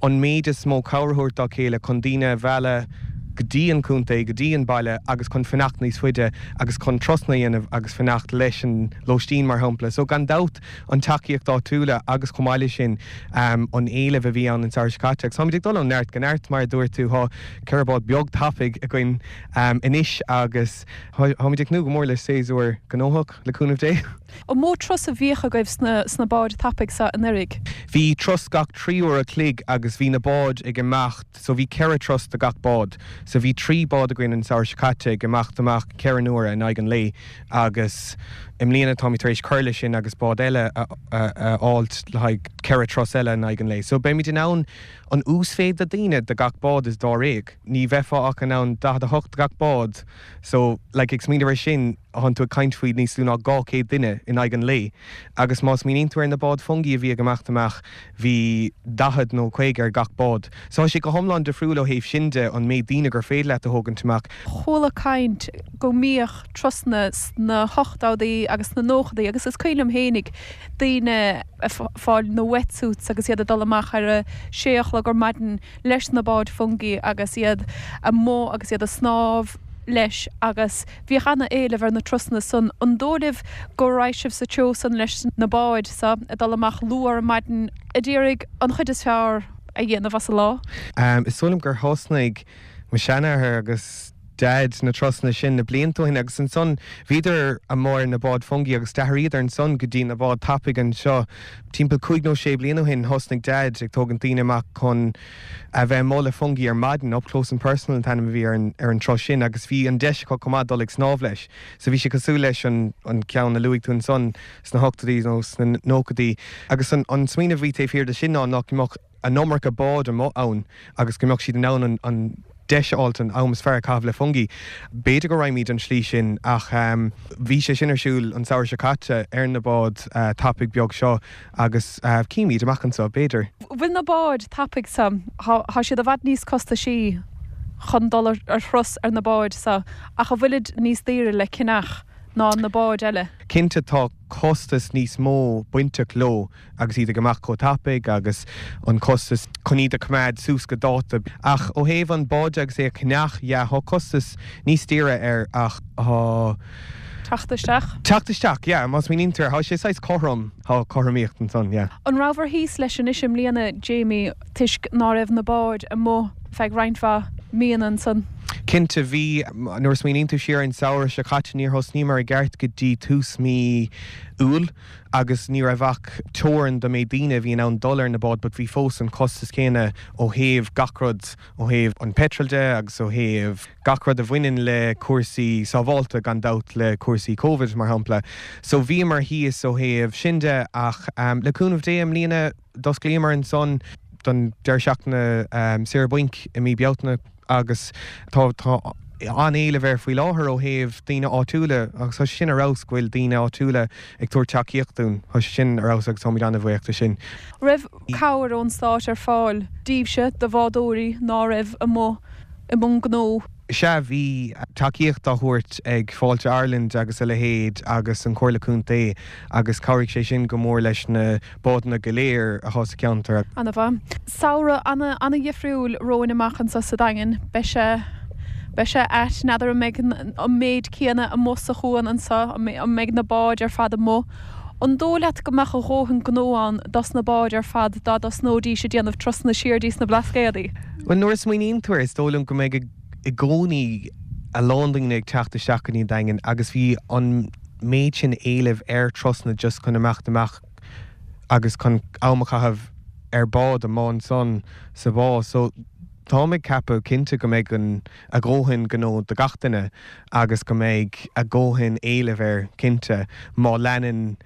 an méid is mó cabhair a thabhairt dá chéile chun daoine a mhealladh go dtí an contae, go dtí an baile agus chun fanacht níos faide agus chun turasanna a dhéanamh agus fanacht leis an lóistín mar shampla. So gan dabht an tacaíocht áitiúla agus chomh maith leis sin an éileamh a bhí ann an samhradh seo caite. Agus táimid ag dul ó neart go neart mar a dúirt tú, tá ceithre bád beag tapaidh againn anois agus táimid ag tnúth go mór le séasúr gnóthach le cúnamh Dé. An mó turas a bhíodh agaibh sna báid tapaidh seo anuraidh? Bhí turas gach trí uair a chloig agus bhí na báid ag imeacht so bhí ceithre turas do gach bád. So bhí trí bád againn an samhradh seo caite ag imeacht amach ceithre n-uaire in aghaidh an lae agus i mbliana táimid tar éis cur leis sin agus bád eile a fháilt le haghaidh ceithre turas eile in aghaidh an lae. So beimid in ann an uasmhéid de daoine do gach bád is dáréag. Ní bheifeá ach in ann daichead a hocht do gach bád. So like ag smaoineamh ar sin thánn tú ag caint faoi níos lú ná dhá chéad duine in aghaidh an lae. Agus má smaoiníonn tú ar na báid fungie a bhí ag imeacht amach bhí daichead nó caoga ar gach bád. So tá sé go hiomlán difriúil ó thaobh sin de an méid daoine gur féidir leat a thógaint amach. Chuala caint go mbíodh turasanna sna hochtóidí agus sna nóchaidí agus is cuimhin liom fhéinig daoine ag fáil na wetsuits agus iad ag dul amach ar a sé a chlog ar maidin leis na báid fungie agus iad amuigh agus iad ag snámh leis agus bhíodh ana-éileamh ar na turasanna san. An dóigh libh go raghaidh sibh sa treo san leis na báid so ag dul amach luath ar maidin ag iarraidh an chuid is fearr a dhéanamh as an lá? Is dóigh liom gur thosnaigh mo sheanathair agus Daid na turasanna sin na blianta ó shin agus ansan bhíodar amuigh ar na báid fungie agus d'athraíodar ansan go dtí na báid tapaidh anseo. Timpeall cúig nó sé bliana ó shin thosnaigh Daid ag tógaint daoine amach chun a bheith amuigh le fungie ar maidin, Up Close and Personal an t-ainm a bhí ar an ar an turas sin agus bhí an deis acu chomh maith dul ag snámh leis. So bhí sé cosúil leis an an ceann a luaigh tú ansan sna hochtóidí nó sna nóchaidí agus an an smaoineamh a bhí taobh thiar de sin ná nach mbeadh an iomarca bád amuigh ann agus go mbeadh siad in ann an an deis a fháilt an am is fearr a chaitheamh le fungie. B'fhéidir go raghaimid an tslí sin ach bhí sé sin ar siúl an samhradh seo caite ar na báid tapaidh beag seo agus cífimid amach anseo, b'fhéidir. Bhfuil na báid tapaidh so, thá siad i bhfad níos costaisí chun dul ar thuras ar na báid so ach an bhfuilid níos daoire le ceannach ná na báid eile? Cinnte tá costas níos mó bainteach leo agus iad ag imeacht chomh tapaidh agus an costas chun iad a choimeád suas go dáta. Ach ó thaobh an bád agus é a cheannach, yeah, thá costas níos daoire air ach thá. Teacht isteach? Teacht isteach, yeah, má smaoiníonn tú air, thá sé saghas cothrom, thá cothromaíocht ansan, yeah. An rabhabhair thíos leis anois i mbliana, Jamie, toisc ná raibh na báid amuigh feadh roinnt mhaith míonna ansan? Cinnte, bhí. Nuair a smaoiníonn tú siar ar an samhradh seo caite, níor thosnaíomar i gceart go dtí tús mí Iúil agus ní raibh ach teorainn do méid daoine a bhí in ann dul ar na báid but bhí fós an costas céanna ó thaobh gach rud, ó thaobh an petrol de agus ó thaobh gach rud a bhaineann le cúrsaí sábháilte gan dabht le cúrsaí Covid mar shampla. So bhíomar thíos ó thaobh sin de ach le cúnamh Dé i mbliana d'osclaíomar ansan don deireadh seachtaine saoire bainc i mí Bealtaine agus tá tá an-éileamh air faoi láthair ó thaobh daoine áitiúla agus tá sé sin ar fheabhas go bhfuil daoine áitiúla ag tabhairt tacaíocht dúinn. Tá sé sin ar fheabhas agus táimid an-bhuíoch de sin. Raibh cabhair ón stát ar fáil daoibhse, do bhádóirí ná raibh amuigh i mbun gnó? Sea, bhí tacaíocht á thabhairt ag Fáilte Ireland agus a leithéid agus an Chomhairle Contae agus chabhraigh sé sin go mór leis na bádanna go léir atá sa cheantar. Ana-mhaith. Samhradh ana, ana-dhifriúil romhainn amach anseo sa Daingean. Beidh sé, beidh sé ait. N'fheadar an mbeidh an méid céanna amuigh sa chuan anseo, an mbeidh na báid ar fad amuigh. An dóigh leat go mbeadh a dhóthain gnó ann dos na báid ar fad dá dtosnóidís ag déanamh turasanna siar dtí sna Blascaodaí? Bhuel, nuair a smaoiníonn tú air, is dóigh liom go mbeidh i gcónaí a lán daoine ag teacht isteach go dtí an Daingean agus bhí an méid sin éilimh ar turasanna just chun imeacht amach agus chun am a chaitheamh ar bád amuigh ansan sa bhá so táim ag ceapadh cinnte go mbeidh an a dhóthain gnó do gach duine agus go mbeidh a dhóthain éilimh air cinnte má leanann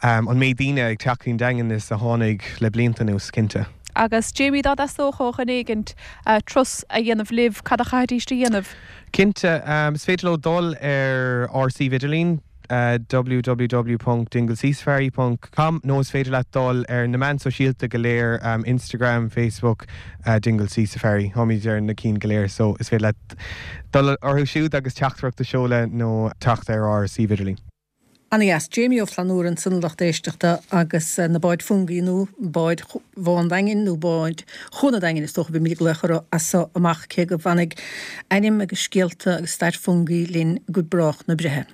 um, an méid daoine ag teacht chuig an Daingean is a tháinig le blianta anuas cinnte. Agus Jamie dá dteastódh ó dhuine éigint uh, turas a dhéanamh libh cad a chaithfidís a dhéanamh. Cinnte um, is féidir leo dul ar ár suíomh idirlín uh, www.dinglesesafari.com nó is féidir leat dul ar na meáin sóisialta go léir um, Instagram, Facebook, uh, Dingle Sea Safari Táimid ar na cinn go léir so is féidir leat dul orthu siúd agus teachtaireacht a sheoladh nó teacht ar ár suíomh idirlín. Ana-dheas Jamie Ó Flannúra ansan a lucht éisteachta agus eh, na báid Fungie nó báid Bhá an Daingin nó báid Chuan an Daingin is dócha bhí mé lechar as amach cé go bhfanfaidh ainm agus scéalta agus stair Fungie linn go brách na breithe.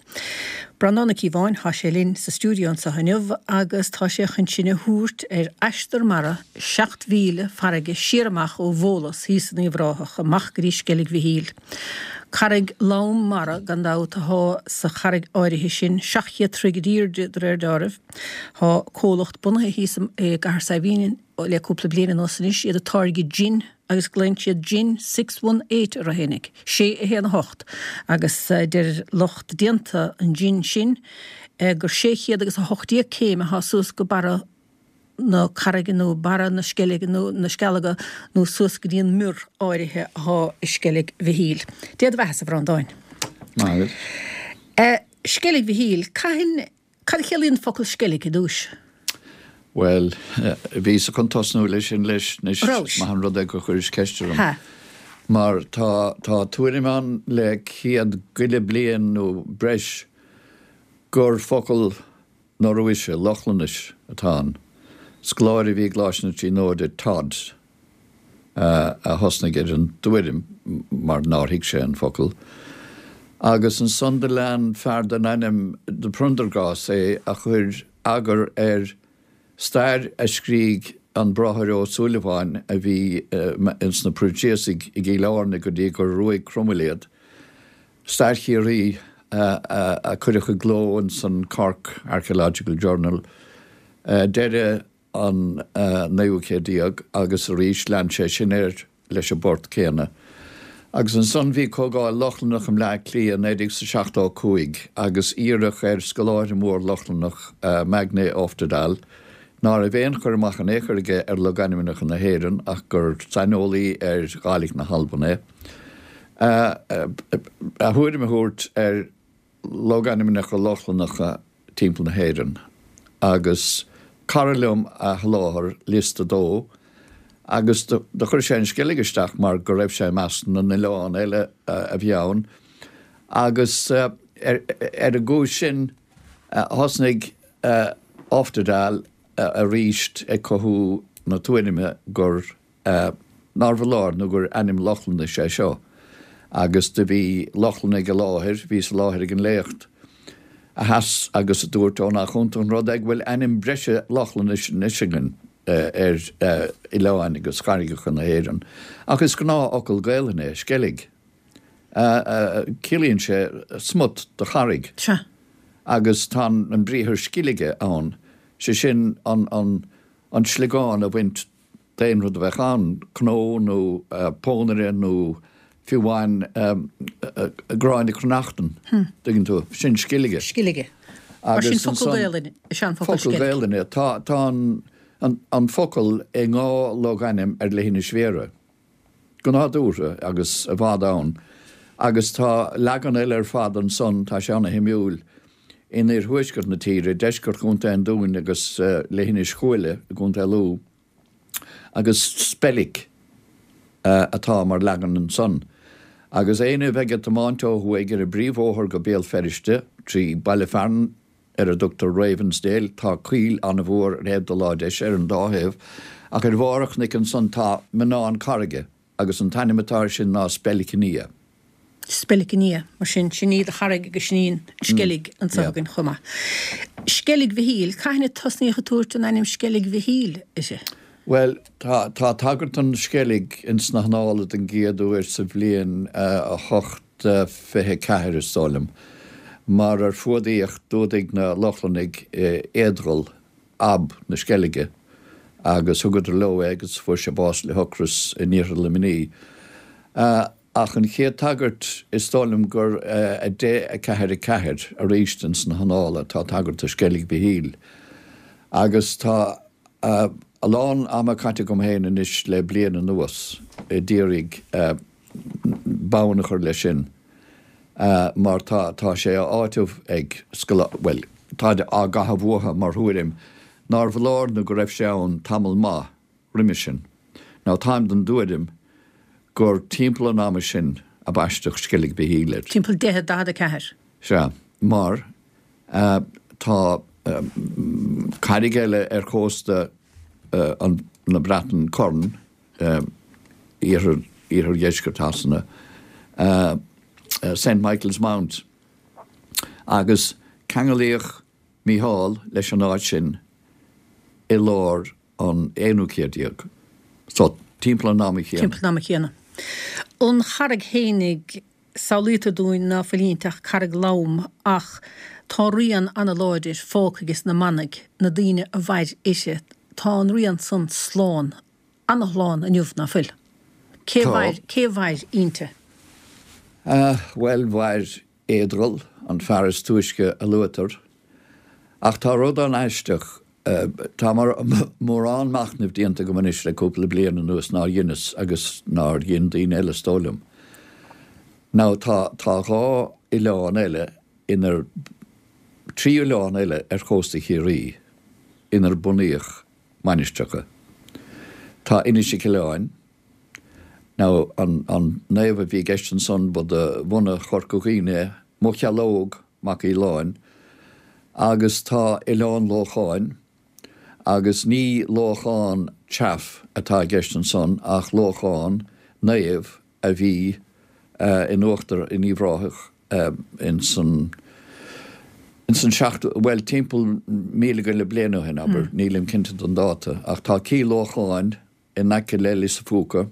Breandán Ó Cíobháin tá sé linn sa stiúideo anseo inniu agus tá sé chun sinn a thabhairt ar aistear mara seacht mhíle farraige siar amach ó Bhólas thíos in Uíbh Ráthach amach go dtí Sceilg Mhichíl. Carraig lom mara gan dabht atá sa charraig áirithe sin seacht gcéad troigh airde de réir dealraimh. Tá comhlacht bunaithe thíos i gCathair Saidhbhín le cúpla bliain anuas anois iad ag táirgeadh gin agus glaonn siad gin six one eight ar a fhéinig, sé a haon a hocht, agus deir lucht déanta an gin sin gur sé chéad agus a hocht déag céim atá suas go barra na carraige nó barra na sceilge nó na scealga nó suas go dtí an muir áirithe atá i Sceilg Mhichíl. Dia do bheatha a Bhreandáin. Maith. Uh, Sceilg Mhichíl, cathain cad a chiallaíonn focal sceilg i dtús? Well, bhíos chun tosnú leis sin leis anois Rós. maith an rud é gur chuiris ceist orm. Ha. Mar tá tá tuairim ann le céad go leith bliain nó breis gur focal Noruaise, Lochlainnis atá ann. Scoláire a bhí i gColáiste na Tríonóide Todd uh, a thosnaigh ar an dtuairim mar nár thuig sé an focal. Agus ansan do lean fear den ainm de Prendergast é a chuir eagar ar stair a scrígh an Bráthair Ó Súilleabháin a bhí uh, ins na Proinsiasaigh i gCill Airne go dtí gur ruaig Cromail iad. Stair Chiarraí uh, uh, a cuireadh i gcló in san Cork Archaeological Journal. Uh, deireadh an uh, naoú céad déag agus arís lean sé sin air leis an bport céanna. Agus ansan bhí comhdháil Lochlannach i mBleá Cliath naoi déag seachtó cúig agus iarradh ar scoláire mór Lochlannach uh, Magne Oftedal, ná raibh aon chur amach in aon chor aige ar logainmneacha na hÉireann ach gur saineolaí ar Ghàidhlig na hAlban é. Uh, uh, a thuairim a thabhairt ar logainmneacha Lochlannacha timpeall na hÉireann. Agus cara liom a sholáthair liosta dó, agus do chuir sé an Sceilg isteach mar go raibh sé i measc na n-oileán eile a bhí ann. Agus uh, ar, ar an gcúis sin uh, thosnaigh uh, Oftedal uh, arís ag cothú na tuairime gur uh, nárbh fholáir nó gur ainm Lochlannais é seo. Agus do bhí Lochlannaigh i láthair, bhí sa láthair ag an léacht. A sheas agus a dúirt ó nach iontach an rud é go bhfuil ainm breise Lochlannais anois againn ar oileáin agus carraigeacha na hÉireann. Ach is gnáthfhocal Gaelainne é sceilg. Ciallaíonn sé smut de charraig. Sea. Agus tá an briathar scilge ann, sé sin an, an, an sliogán a bhaint d'aon rud a bheadh ann, cnó nó uh, pónaire nó fiú amháin um, uh, gráinne cruithneachtan, hmm. tuigeann tú, sin scilge. Scilge. Mar sin focal Gaelainne, is ea an focal Focal sceilg. Gaelainne, tá, tá an, an, an focal i ngá logainm ar Leithinis Bhéarra. Go nádúrtha agus i bhfad ann. Agus tá leagan eile ar fad ansan, tá sé an-shuimiúil in iarthuaisceart na tíre, deisceart Chontae an Dúin agus uh, Leithinis Chuaille i gContae Lú, agus Spellic uh, atá mar leagan ansan. Agus éinne a bheidh ag tiomáint ó thuaidh ar an bpríomhbhóthar go Béal Feirste trí baile fearainn ar a dtugtar Ravensdale, tá coill an-mhór ar thaobh do láimhe deise ar an dá thaobh, ach ar bharr an chnoic ansan tá mionnán carraige agus an t-ainm atá air sin ná Spellicinía. Spellicinía, mar sin sin iad a charraig agus sin í an Sceilg anseo Yeah. againn chomh maith. Sceilg Mhichíl, cathain a tosnaíodh ag tabhairt an ainm Sceilg Mhichíl uirthi. Well, tá, tá tagairt don Sceilg ins na hannála den gcéad uair sa bhliain uh, a hocht uh, fiche ceathair is dóigh liom. Mar ar fuadaíodh d'fhuadaigh na Lochlannaigh uh, Eadgal ab na Sceilge Agus thugadar leo é agus fuair sé bás le hocras in iarthar Luimnigh. Ach an chéad tagairt, is dóigh liom gur a deich, a ceathair, a ceathair arís ins na hannála tá tagairt do Sceilg Mhichíl. Agus tá a lán ama caite agam féin anois le bliain anuas a d'iarraidh bonn a chur leis sin mar tá tá sé á áiteamh ag scoláirí, bhuel, tá á gcaitheamh uathu mar thuairim nár bhfoláir nó go raibh sé ann tamall maith roimhe sin. Now táim den dtuairim gur timpeall an ama sin a baisteadh Sceilg Mhichíl air. Timpeall deich daichead a ceathair. Sea, mar tá carraig eile ar chósta na Breataine, Corn, iarthar, iarthardheisceart Shasana, Saint Michael's Mount, agus ceanglaíodh Mícheál leis an áit sin i lár an aonú céad déag. So, timpeall an ama chéanna. Timpeall an ama chéanna. An charraig fhéinig, samhlaítear dúinn ná fuil inti ach carraig lom ach tá rian ana-láidir fágtha ages na manaigh, na daoine a mhair uirthi. Tá an rian san slán, ana-shlán inniu, ná fuil? Cé Tá. mhair, cé mhair inti? Ah, bhuel, mhair Éadral, an fear is túisce a luaitear. Ach tá rud an-aisteach, tá mórán machnaimh déanta agam anois le cúpla bliain anuas nár dheineas agus nár dhein daoine eile is dóigh liom. Now tá tá dhá oileán eile inar, trí oileán eile ar chósta Chiarraí inar bunaíodh mainistreacha. Tá Inis Mhic Aoláin, now an an naomh a bhí i gceist ansan ba de bhunadh Chorca Dhuibhne é, Mocheallóg Mac Aoláin, agus tá Oileán Lócháin, agus ní Lóchán Chaff atá i gceist ansan ach Lóchán, naomh a bhí in uachtar in Uíbh Ráthach ins an ins an seachtú, bhuel, timpeall míle go leith bliain ó shin, abair, nílim cinnte den dáta, ach tá Cill Lócháin in aice le Lios a' Phúca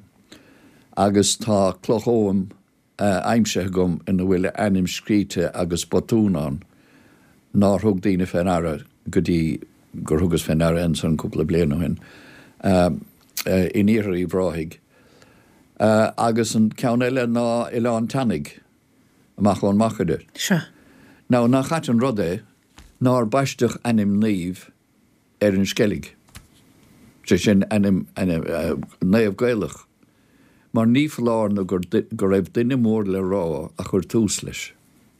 agus tá cloch oghaim aimsithe agam ina bhfuil a ainm scríte agus botún ann nár thug daoine fé ndeara go dtí gur thugas fé ndeara ansan cúpla bliain ó shin, in iarthar Uíbh Ráthaigh. Agus an ceann eile ná Oileán Teannaigh, amach ón Machaire. Sea. Now, nach ait an rud é nár baisteadh ainm naoimh ar an Sceilg, sé sin, ainm naomh Gaelach, mar ní foláir nó go raibh duine mór le rá a chuir tús leis.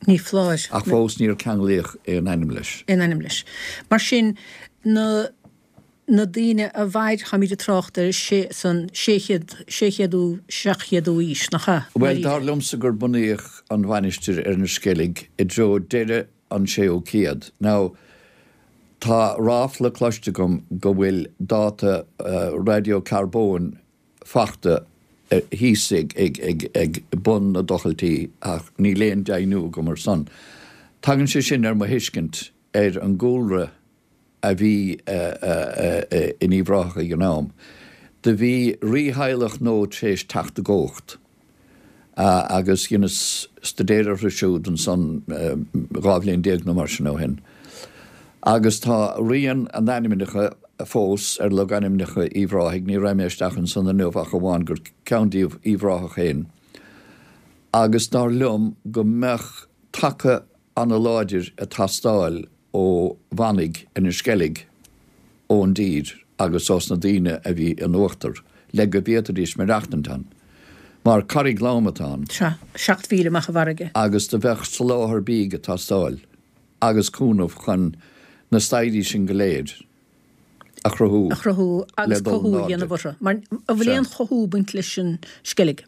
Ní foláir. Ach fós níor ceanglaíodh aon ainm leis. Aon ainm leis. Mar sin, na na daoine a mhair, táimid ag trácht ar sé san sé chéad, sé chéadú, seacht chéadú aois, nach ea? Bhuel, dar liomsa gur bunaíodh an mhainistir ar an Sceilg i dtreo deireadh an séú céad. Now, tá ráfla cloiste agam go bhfuil dáta radiocarbóin fachta thíos ag bun na dtochailtí ach níl aon deimhniú agam ar son. Tagann sé sin ar mo thuiscint ar an gcúlra a bhí in Uíbh Ráthach ag an am. Do bhí rítheaghlach nua tar éis teacht i gcumhacht agus dheineas staidéar orthu siúd ansan dhá bhliain déag nó mar sin ó shin. Agus tá rian a n-ainmneacha fós ar logainmneacha Uíbh Ráthaigh, ní raghaidh mé isteach ansan inniu ach amháin gur ceann díobh Uíbh Ráthach féin, agus dar liom go mbeadh taca ana-láidir ag teastáil ó mhanaigh ar an Sceilg, ón dtír agus ós na daoine a bhí in uachtar, le go bhféadfaidís maireachtaint ann. Mar carraig lom atá ann. Sea, seacht mhíle amach i bhfarraige. Agus do bheadh soláthar bídh ag teastáil agus cúnamh chun na staighrí sin go léir a chruthú a chruthú le agus dul cothú in a airde. dhéanamh orthu. Mar an bhfuil Sea. aon chothú ag baint leis an Sceilg?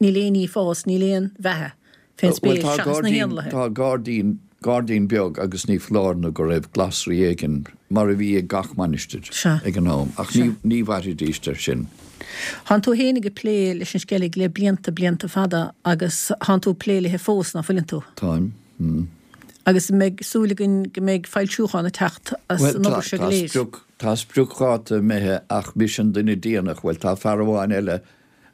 Níl aon ní ag fás, níl aon bheatha fén Bhuel, spéir tá seachas na gairdín, héanlaithe. tá gairdín, gairdín beag agus ní foláir nó go raibh glasraí éigin, mar a bhí ag gach mainistir Sea. ag an am, ach Sea. ní, ní mhairfidís ar sin. Thánn tú fhéinig ag plé leis an Sceilg le blianta, blianta fada agus thánn tú ag plé léithe fós, ná fuileann tú? Táim. Mm. Agus an mbeidh súil againn go mbeidh foilsiúchán ag teacht as Bhuel, an tá, obair seo tá go léir. sprioc, tá spriocdháta imithe ach mise an duine déanach, bhuel, tá fear amháin eile,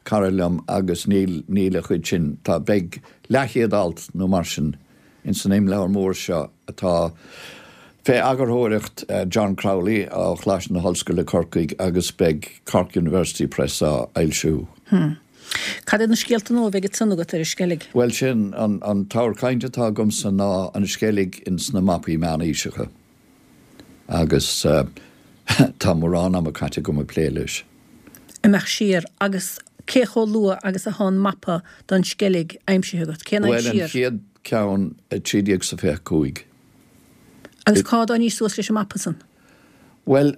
cara liom, agus níl, níl a chuid sin, tá, beidh leathchéad alt nó mar sin ins an imleabhar mór seo atá Fé eagarthóireacht John Crowley ó Choláiste na hOllscoile Corcaigh agus beidh Cork University Press á fhoilsiú. Hmm. Cad iad na scéalta nua a bheidh ansan agat ar an Sceilg? Bhuel sin, an an t-ábhar cainte atá agamsa ná an Sceilg ins na mapaí meánaoiseacha agus tá mórán ama caite agam ag plé leis. Imeacht siar agus cé chomh luath agus atá an mapa don Sceilg aimsithe agat? Cén Bhuel an aimsir? chéad ceann a trí déag 's a fiche cúig. Agus cá dtáinís suas leis an mapa san? Bhuel,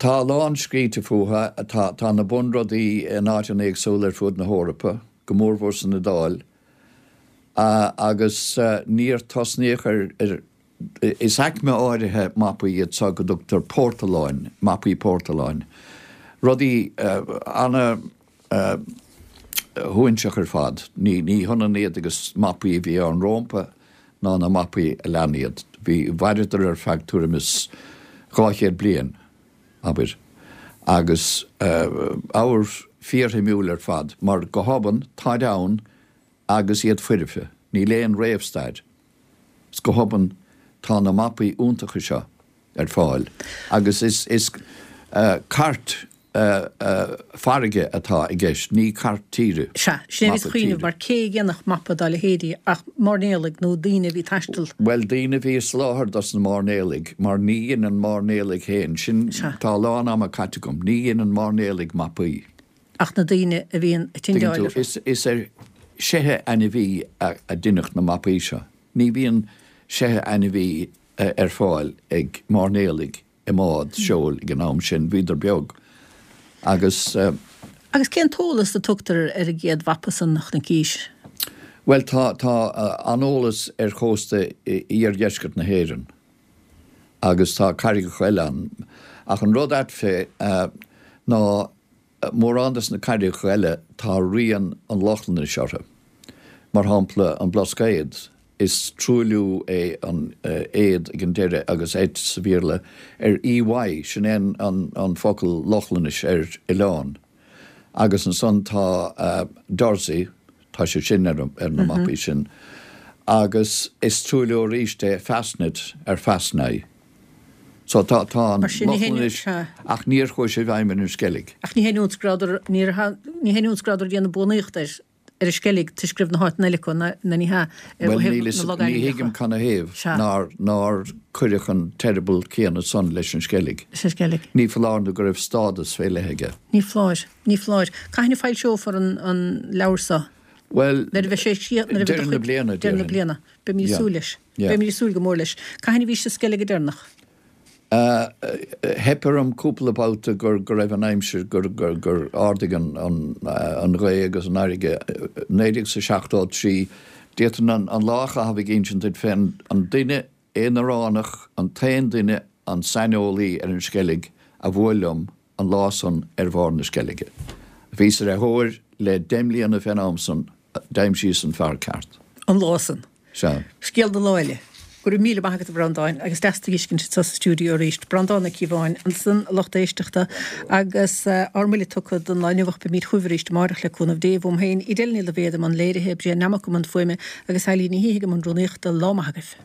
tá a lán scríte fúthu, tá tá na bunrudaí in áiteanna éagsúla ar fud na hEorpa, go mórmhór san Iodáil, agus níor tosnaíodh ar ar is aicme áirithe mapaí iad seo go dtugtar portoláin, mapaí portoláin. Rudaí ana shuainseach ar fad. Ní ní hionann iad agus mapaí a bhí ann rómpa ná na mapaí a lean iad. Bhí mhaireadar ar feadh tuairim is dhá chéad bliain, abair, agus ábhar fíorshuimiúil ar fad, mar go hobann táid ann agus iad foirfe. Níl aon réamhstair. Is go hobann tá na mapaí iontacha seo ar fáil agus is is cairt farraige atá i gceist, ní cairt tíre. Sea, sin é a bhíos ag cuimhneamh, mar cé a dhéanfadh mapa dá leithéidí ach mairnéalaigh nó daoine a bhí ag taisteal? Bhuel, daoine a bhí ag soláthar dos na mairnéalaigh, mar ní dheineann mairnéalaigh féin, sin, tá a lán ama caite agam, ní dheineann mairnéalaigh mapaí. Ach na daoine a bhíonn ag tindeáil orthu. Is, is ar seithe ainmhí a, a deineadh na mapaí seo. Ní bhíonn seithe ainmhí ar fáil ag mairnéalaigh i mbád seoil ag an am sin, bhíodar beag agus. Agus cén t-eolas a tugtar ar an gcéad mhapa san, a Chnocís? Bhuel, tá, tá an-eolas ar chósta iardheisceart na hÉireann agus tá carraigeacha eile ann. Ach an rud ait fé ná mórán des na carraigeacha eile tá rian an Lochlannais orthu. Mar shampla an Blascaod, is truailliú é an aod ag an deireadh agus ed sa Bhéarla ar E Y, sin é an an focal Lochlannais ar oileán. Agus ansan tá Dursey, tá sé sin ar ar na mapaí sin. Agus is truailliú arís é Fastnet ar Fastney. So tá tá an Mar sin ní haon Lochlannais sea. ach níor chuaigh sé i bhfeidhm ar an Sceilg. Ach ní haon iontas go rabhadar ní ní haon iontas go rabhadar ag déanamh buannaíocht air ar an Sceilg toisc go raibh na háiteanna eile acu ná ná ní hea ó Bhuel thaobh níl na fhios ní logainmneacha. thuigim canathaobh Sea. nár nár cuireadh an t-eireaball céanna san leis an Sceilg. Leis an Sceilg. Ní foláir nó go raibh stádas fé leith aige. Ní foláir. Ní foláir. Cathain a foilseofar an an leabhar so? Bhuel, Nuair a bheidh sé críoch nuair a bheidh do deireadh na chuid bliana, deireadh na déarfainn. bliana. Beimid ag Yeah. súil leis. Yeah. Beimid ag súil go mór leis. Cathain a bhís sa Sceilg go deireanach? Theip orm cúpla babhta gur go raibh an aimsir gur gur gur ardaigh an an an ghaoth agus an fharraige. Naoi déag 's a seachtó trí d'fhéadfainn an an lá a chaitheamh ag insint duit fén an duine aonaránach, an t-aon duine, an saineolaí ar an Sceilg a bhuail liom an lá san ar bharr na Sceilge. Bhíos ar a thóir le deich mbliana fén am san, d'aimsíos an fear ceart. An lá san. Sea. Scéal do lá eile. Go raibh míle maith agat a Bhreandáin agus deas tú a fheiscint anseo sa stiúideo arís. Breandán Ó Cíobháin ansan, a lucht éisteachta, agus ár mbuille tugtha don lá inniu ach beimid chugaibh arís amárach le cúnamh Dé. Uaim féin, Edel Ní Loibhéad i mbun léirithe, Brian Nammock i mbun fuaime agus Eileen Ní hIgim i mbun rúnaíochta. Lá maith agaibh.